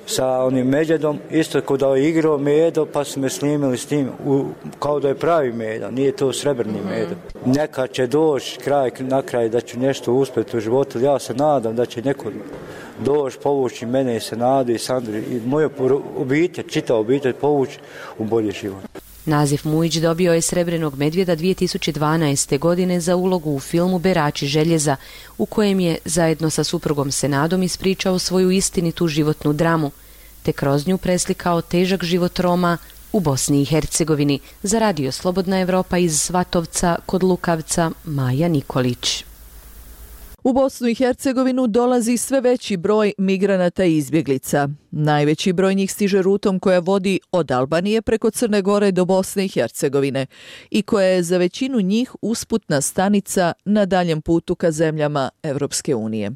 D: sa onim međedom, isto kao da je igrao medo, pa su me snimili s tim, u, kao da je pravi medo, nije to srebrni medo. Neka će doći kraj na kraj da ću nešto uspjeti u životu, ja se nadam da će neko doći, povući mene i Senadu i Sandru i moju obitelj, čita obitelj povući u bolji život.
I: Nazif Mujić dobio je Srebrenog medvjeda dvije tisuće dvanaeste. godine za ulogu u filmu Berači željeza, u kojem je zajedno sa suprugom Senadom ispričao svoju istinitu životnu dramu, te kroz nju preslikao težak život Roma u Bosni i Hercegovini. Za Radio Slobodna Evropa iz Svatovca kod Lukavca, Maja Nikolić.
A: U Bosnu i Hercegovinu dolazi sve veći broj migranata i izbjeglica. Najveći broj njih stiže rutom koja vodi od Albanije preko Crne Gore do Bosne i Hercegovine i koja je za većinu njih usputna stanica na daljem putu ka zemljama Evropske unije.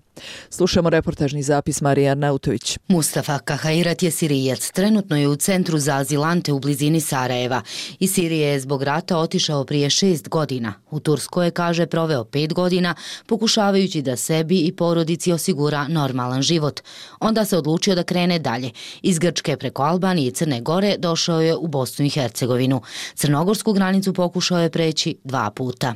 A: Slušamo reportažni zapis Marije Arnautović.
E: Mustafa Kahairat je Sirijac. Trenutno je u centru za azilante u blizini Sarajeva. Iz Sirije je zbog rata otišao prije šest godina. U Turskoj je, kaže, proveo pet godina pokušavajući da sebi i porodici osigura normalan život. Onda se odlučio da krene dalje. Iz Grčke preko Albanije i Crne Gore došao je u Bosnu i Hercegovinu. Crnogorsku granicu pokušao je preći dva puta.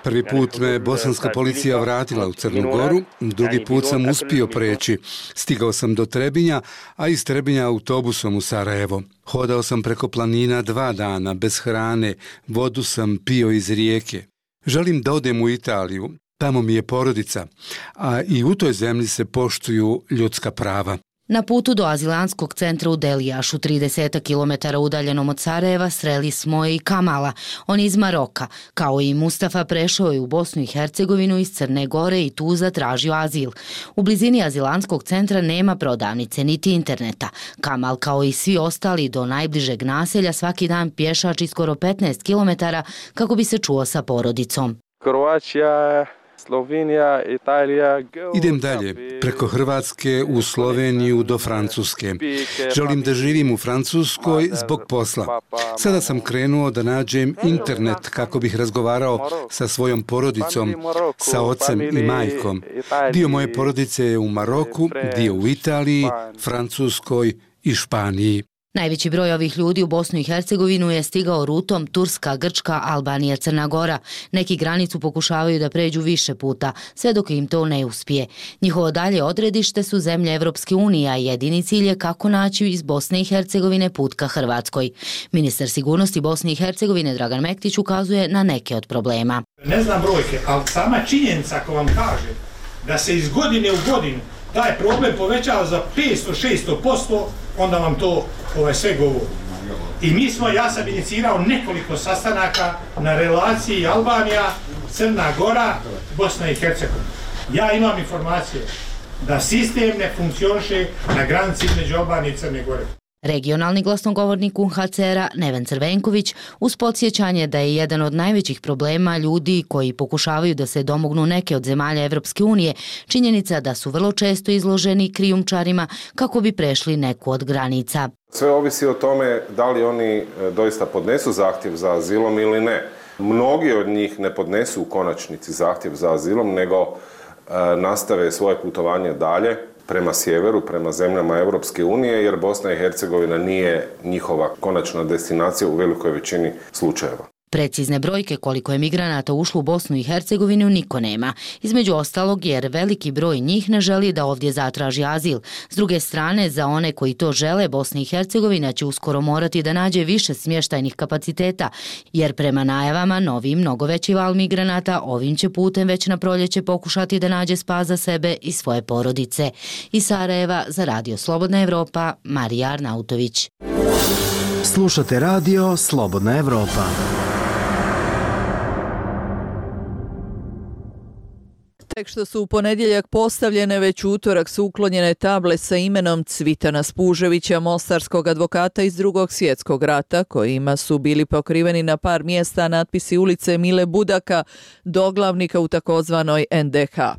R: Prvi put me bosanska policija vratila u Crnu Goru, drugi put sam uspio preći. Stigao sam do Trebinja, a iz Trebinja autobusom u Sarajevo. Hodao sam preko planina dva dana, bez hrane, vodu sam pio iz rijeke. Želim da odem u Italiju, tamo mi je porodica, a i u toj zemlji se poštuju ljudska prava.
E: Na putu do azilantskog centra u Delijašu, trideset kilometara udaljenom od Sarajeva, sreli smo i Kamala. On iz Maroka. Kao i Mustafa, prešao je u Bosnu i Hercegovinu iz Crne Gore i tu zatražio azil. U blizini azilantskog centra nema prodavnice niti interneta. Kamal, kao i svi ostali, do najbližeg naselja svaki dan pješači skoro petnaest kilometara kako bi se čuo sa porodicom.
H: Kroacija, Slovenija, Italija.
R: Idem dalje, preko Hrvatske u Sloveniju do Francuske. Želim da živim u Francuskoj zbog posla. Sada sam krenuo da nađem internet kako bih razgovarao sa svojom porodicom, sa ocem i majkom. Dio moje porodice je u Maroku, dio u Italiji, Francuskoj i Španiji.
E: Najveći broj ovih ljudi u Bosnu i Hercegovinu je stigao rutom Turska, Grčka, Albanija, Crna Gora. Neki granicu pokušavaju da pređu više puta, sve dok im to ne uspije. Njihovo dalje odredište su zemlje Evropske unije, a jedini cilj je kako naći iz Bosne i Hercegovine put ka Hrvatskoj. Ministar sigurnosti Bosne i Hercegovine Dragan Mektić ukazuje na neke od problema.
K: Ne znam brojke, ali sama činjenica ako vam kaže da se iz godine u godinu taj problem povećava za petsto do šesto posto, onda vam to ovaj, sve govori. I mi smo, ja sam inicirao nekoliko sastanaka na relaciji Albanija, Crna Gora, Bosna i Hercegovina. Ja imam informacije da sistem ne funkcioniše na granici između Albanije i Crne Gore.
E: Regionalni glasnogovornik U N H C R-a Neven Crvenković uz podsjećanje da je jedan od najvećih problema ljudi koji pokušavaju da se domognu neke od zemalja Evropske unije činjenica da su vrlo često izloženi krijumčarima kako bi prešli neku od granica.
M: Sve ovisi o tome da li oni doista podnesu zahtjev za azilom ili ne. Mnogi od njih ne podnesu u konačnici zahtjev za azilom, nego e, nastave svoje putovanje dalje prema sjeveru, prema zemljama Europske unije, jer Bosna i Hercegovina nije njihova konačna destinacija u velikoj većini slučajeva.
E: Precizne brojke koliko je migranata ušlo u Bosnu i Hercegovinu niko nema. Između ostalog jer veliki broj njih ne želi da ovdje zatraži azil. S druge strane, za one koji to žele, Bosna i Hercegovina će uskoro morati da nađe više smještajnih kapaciteta, jer prema najavama novi mnogo veći val migranata ovim će putem već na proljeće pokušati da nađe spas za sebe i svoje porodice. Iz Sarajeva za Radio Slobodna Evropa, Marija Arnautović.
S: Slušate Radio Slobodna Evropa.
A: Tek što su u ponedjeljak postavljene, već u utorak su uklonjene table sa imenom Cvitana Spuževića, mostarskog advokata iz Drugog svjetskog rata, kojima su bili pokriveni na par mjesta natpisi ulice Mile Budaka, doglavnika u takozvanoj N D H.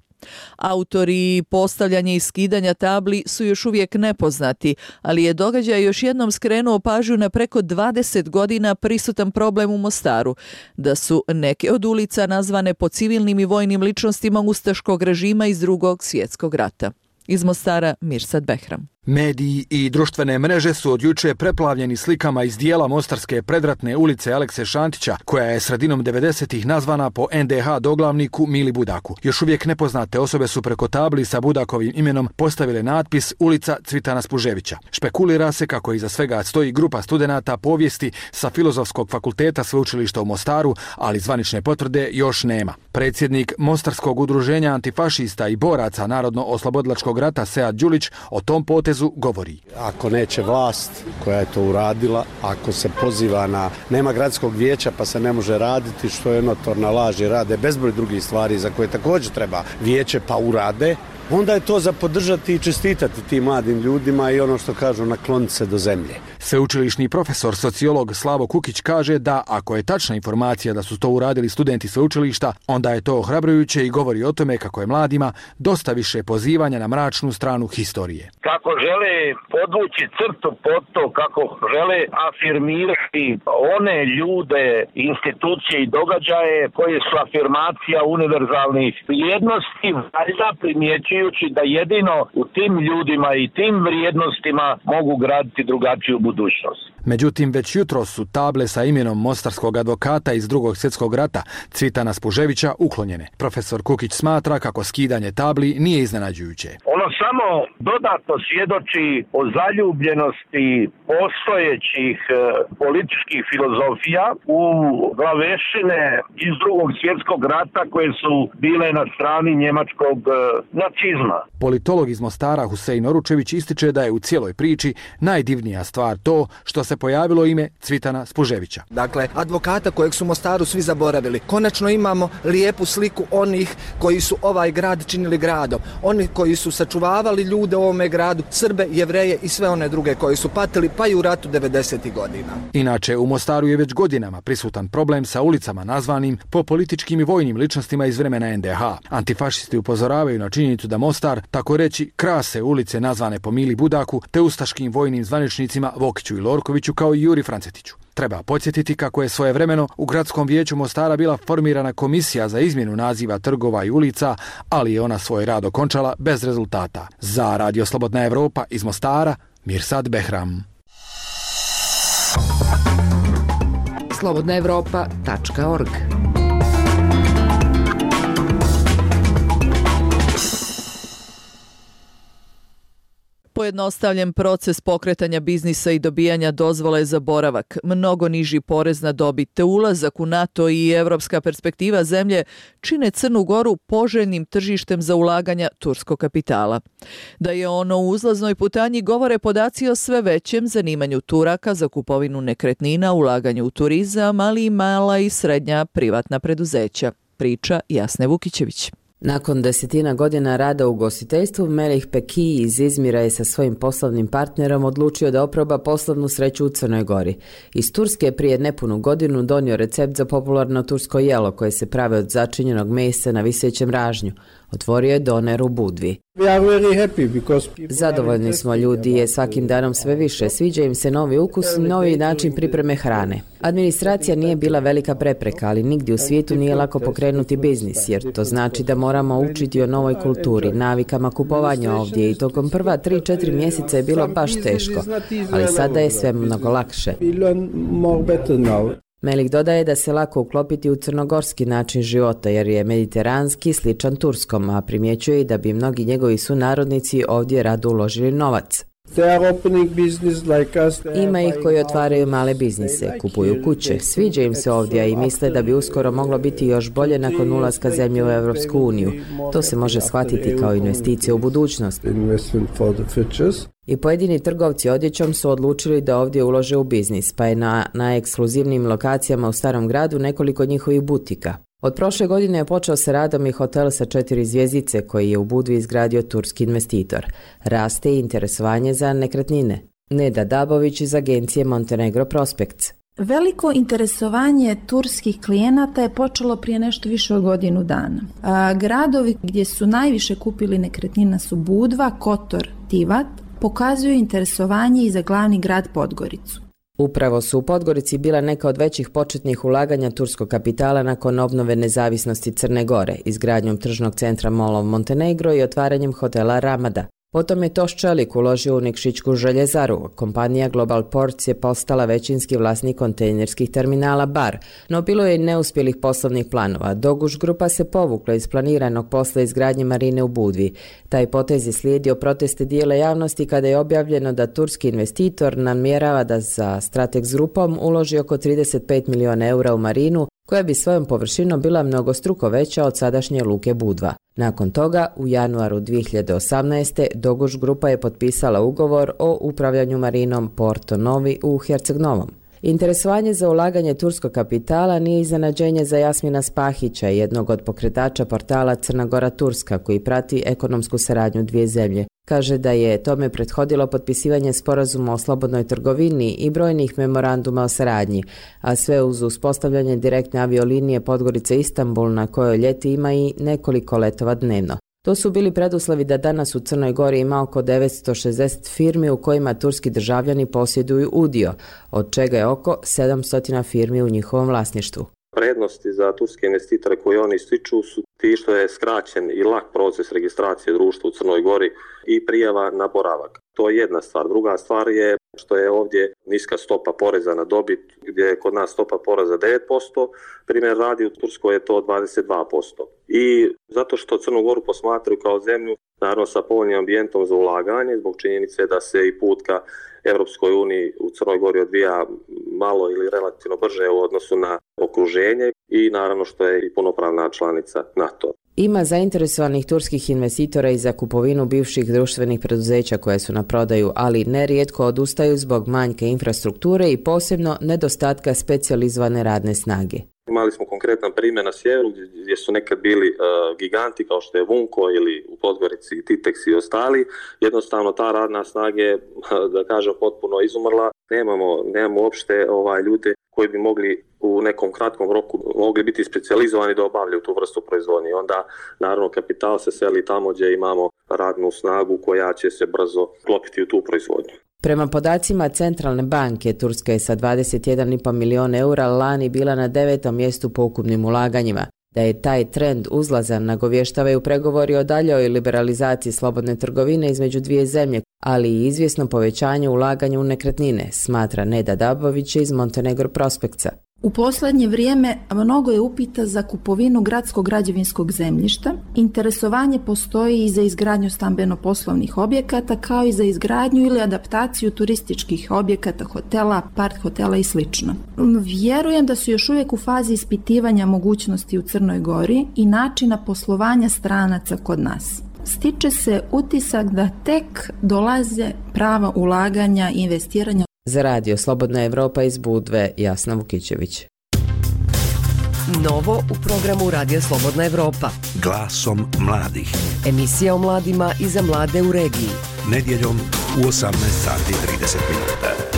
A: Autori postavljanja i skidanja tabli su još uvijek nepoznati, ali je događaj još jednom skrenuo pažnju na preko dvadeset godina prisutan problem u Mostaru, da su neke od ulica nazvane po civilnim i vojnim ličnostima ustaškog režima iz Drugog svjetskog rata. Iz Mostara, Mirsad Behram.
N: Mediji i društvene mreže su od juče preplavljeni slikama iz dijela mostarske predratne ulice Alekse Šantića, koja je sredinom devedesetih nazvana po N D H doglavniku Mili Budaku. Još uvijek nepoznate osobe su preko tabli sa Budakovim imenom postavile natpis Ulica Cvitana Spuževića. Špekulira se kako iza svega stoji grupa studenata povijesti sa Filozofskog fakulteta Sveučilišta u Mostaru, ali zvanične potvrde još nema. Predsjednik Mostarskog udruženja antifašista i boraca Narodno-oslobodilačkog rata Sead Đulić o tom potezu govori.
T: Ako neće vlast koja je to uradila, ako se poziva na nema gradskog vijeća pa se ne može raditi, što je notorna laž i rade bezbroj drugih stvari za koje također treba vijeće pa urade, onda je to za podržati i čestitati tim mladim ljudima i ono što kažu nakloniti se do zemlje.
N: Sveučilišni profesor, sociolog Slavo Kukić kaže da ako je tačna informacija da su to uradili studenti sveučilišta, onda je to ohrabrujuće i govori o tome kako je mladima dosta više pozivanja na mračnu stranu historije.
U: Kako žele podvući crtu pod to, kako žele afirmirati one ljude, institucije i događaje koje su afirmacija univerzalnih vrijednosti, valjda primjećujući da jedino u tim ljudima i tim vrijednostima mogu graditi drugačiju budućnost.
N: Međutim, već jutro su table sa imenom mostarskog advokata iz Drugog svjetskog rata Cvitana Spuževića uklonjene. Profesor Kukić smatra kako skidanje tabli nije iznenađujuće.
U: Ono samo dodatno svjedoči o zaljubljenosti postojećih e, političkih filozofija u glavešine iz Drugog svjetskog rata koje su bile na strani njemačkog e, nacizma.
N: Politolog iz Mostara Husein Oručević ističe da je u cijeloj priči najdivnija stvar to što se pojavilo ime Cvitana Spuževića.
V: Dakle, advokata kojeg su Mostaru svi zaboravili. Konačno imamo lijepu sliku onih koji su ovaj grad činili gradom. Oni koji su sačuvavali ljude u ovome gradu, Srbe, Jevreje i sve one druge koji su patili pa i u ratu devedesetih godina.
N: Inače, u Mostaru je već godinama prisutan problem sa ulicama nazvanim po političkim i vojnim ličnostima iz vremena N D H. Antifašisti upozoravaju na činjenicu da Mostar, tako reći, krase ulice nazvane po Mili Budaku te ustaškim vojnim zvaničnicima Vokiću i Lorkoviću kao i Juri Francetiću. Treba podsjetiti kako je svojevremeno u Gradskom vijeću Mostara bila formirana komisija za izmjenu naziva trgova i ulica, ali je ona svoj rad okončala bez rezultata. Za Radio Slobodna Evropa iz Mostara, Mirsad Behram.
Z: slobodna evropa tačka org
A: Pojednostavljen proces pokretanja biznisa i dobijanja dozvole za boravak, mnogo niži porez na dobit te ulazak u NATO i evropska perspektiva zemlje čine Crnu Goru poželjnim tržištem za ulaganja turskog kapitala. Da je ono u uzlaznoj putanji govore podaci o sve većem zanimanju Turaka za kupovinu nekretnina, ulaganju u turizam, ali i mala i srednja privatna preduzeća. Priča Jasne Vukićević.
B: Nakon desetina godina rada u ugostiteljstvu, Melih Peki iz Izmira je sa svojim poslovnim partnerom odlučio da oproba poslovnu sreću u Crnoj Gori. Iz Turske je prije nepunu godinu donio recept za popularno tursko jelo koje se prave od začinjenog mesa na visećem ražnju. Otvorio je doner u Budvi. Zadovoljni smo, ljudi je svakim danom sve više. Sviđa im se novi ukus i novi način pripreme hrane. Administracija nije bila velika prepreka, ali nigdje u svijetu nije lako pokrenuti biznis, jer to znači da moramo učiti o novoj kulturi, navikama kupovanja ovdje i tokom prva tri četiri mjeseca je bilo baš teško, ali sada je sve mnogo lakše. Melik dodaje da se lako uklopiti u crnogorski način života jer je mediteranski sličan turskom, a primjećuje i da bi mnogi njegovi sunarodnici ovdje rado uložili novac. Ima ih koji otvaraju male biznise, kupuju kuće, sviđa im se ovdje i misle da bi uskoro moglo biti još bolje nakon ulaska zemlje u Europsku uniju. To se može shvatiti kao investicija u budućnost. I pojedini trgovci odjećom su odlučili da ovdje ulože u biznis, pa je na najekskluzivnijim lokacijama u Starom gradu nekoliko njihovih butika. Od prošle godine je počeo sa radom i hotel sa četiri zvjezdice koji je u Budvi izgradio turski investitor. Raste i interesovanje za nekretnine. Neda Dabović iz agencije Montenegro Prospects.
C: Veliko interesovanje turskih klijenata je počelo prije nešto više od godinu dana. A, gradovi gdje su najviše kupili nekretnina su Budva, Kotor, Tivat, pokazuju interesovanje i za glavni grad Podgoricu.
B: Upravo su u Podgorici bila neka od većih početnih ulaganja turskog kapitala nakon obnove nezavisnosti Crne Gore, izgradnjom tržnog centra Mall of Montenegro i otvaranjem hotela Ramada. Potom je Toš Čelik uložio u Nikšićku željezaru. Kompanija Global Ports je postala većinski vlasnik kontejnerskih terminala Bar, no bilo je i neuspjelih poslovnih planova. Doguš grupa se povukla iz planiranog posla izgradnje marine u Budvi. Taj potez je slijedio proteste dijela javnosti kada je objavljeno da turski investitor namjerava da za Stratex grupom uloži oko trideset pet milijuna eura u marinu, koja bi svojom površinom bila mnogostruko veća od sadašnje luke Budva. Nakon toga, u januaru dvije hiljade osamnaeste. Doguš grupa je potpisala ugovor o upravljanju marinom Porto Novi u Herceg Novom. Interesovanje za ulaganje turskog kapitala nije iznenađenje za Jasmina Spahića, jednog od pokretača portala Crna Gora Turska, koji prati ekonomsku saradnju dvije zemlje. Kaže da je tome prethodilo potpisivanje sporazuma o slobodnoj trgovini i brojnih memoranduma o saradnji, a sve uz uspostavljanje direktne aviolinije Podgorica-Istanbul na kojoj ljeti ima i nekoliko letova dnevno. To su bili preduslovi da danas u Crnoj Gori ima oko devetsto šezdeset firmi u kojima turski državljani posjeduju udio, od čega je oko sedamsto firmi u njihovom vlasništvu.
G: Prednosti za turske investitore koje oni ističu su ti što je skraćen i lak proces registracije društva u Crnoj Gori i prijava na boravak. To je jedna stvar. Druga stvar je što je ovdje niska stopa poreza na dobit, gdje je kod nas stopa poreza devet posto, primjer radi u Turskoj je to dvadeset dva posto. I zato što Crnu Goru posmatraju kao zemlju, naravno sa povoljnim ambijentom za ulaganje, zbog činjenice da se i put ka Europskoj uniji u Crnoj Gori odvija malo ili relativno brže u odnosu na okruženje i naravno što je i punopravna članica NATO.
B: Ima zainteresovanih turskih investitora i za kupovinu bivših društvenih preduzeća koje su na prodaju, ali nerijetko odustaju zbog manjka infrastrukture i posebno nedostatka specijalizovane radne snage.
G: Imali smo konkretan primjer na sjeveru gdje su nekad bili uh, giganti kao što je Vunko ili u Podgorici Titex i ostali. Jednostavno ta radna snaga je, da kažem, potpuno izumrla. Nemamo, nemamo uopšte ovaj, ljude koji bi mogli u nekom kratkom roku mogli biti specijalizovani da obavljaju tu vrstu proizvodnje. Onda naravno kapital se seli tamo gdje imamo radnu snagu koja će se brzo klopiti u tu proizvodnju.
B: Prema podacima Centralne banke, Turska je sa dvadeset jedan i pol milijuna eura lani bila na devetom mjestu po ukupnim ulaganjima. Da je taj trend uzlazan nagovještavaju pregovori o daljoj liberalizaciji slobodne trgovine između dvije zemlje, ali i izvjesno povećanje ulaganja u nekretnine, smatra Neda Dabović iz Montenegro Prospectsa.
C: U posljednje vrijeme mnogo je upita za kupovinu gradskog građevinskog zemljišta. Interesovanje postoji i za izgradnju stambeno-poslovnih objekata, kao i za izgradnju ili adaptaciju turističkih objekata, hotela, apart hotela i sl. Vjerujem da su još uvijek u fazi ispitivanja mogućnosti u Crnoj Gori i načina poslovanja stranaca kod nas. Stiče se utisak da tek dolaze prava ulaganja i investiranja.
B: Za radio Slobodna Evropa iz Budve, Jasna Vukićević.
Z: Novo u programu Radija Slobodna Evropa.
F: Glasom mladih.
Z: Emisija o mladima i za mlade u regiji.
F: Nedjeljom u osamnaest sati i trideset minuta.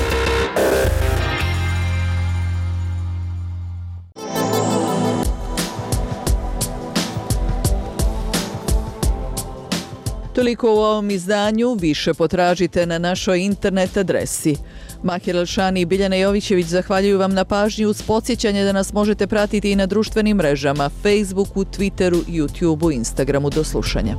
A: Toliko u ovom izdanju, više potražite na našoj internet adresi. Mahir El-Shani i Biljana Jovićević zahvaljuju vam na pažnji uz podsjećanje da nas možete pratiti i na društvenim mrežama, Facebooku, Twitteru, YouTubeu, Instagramu. Do slušanja.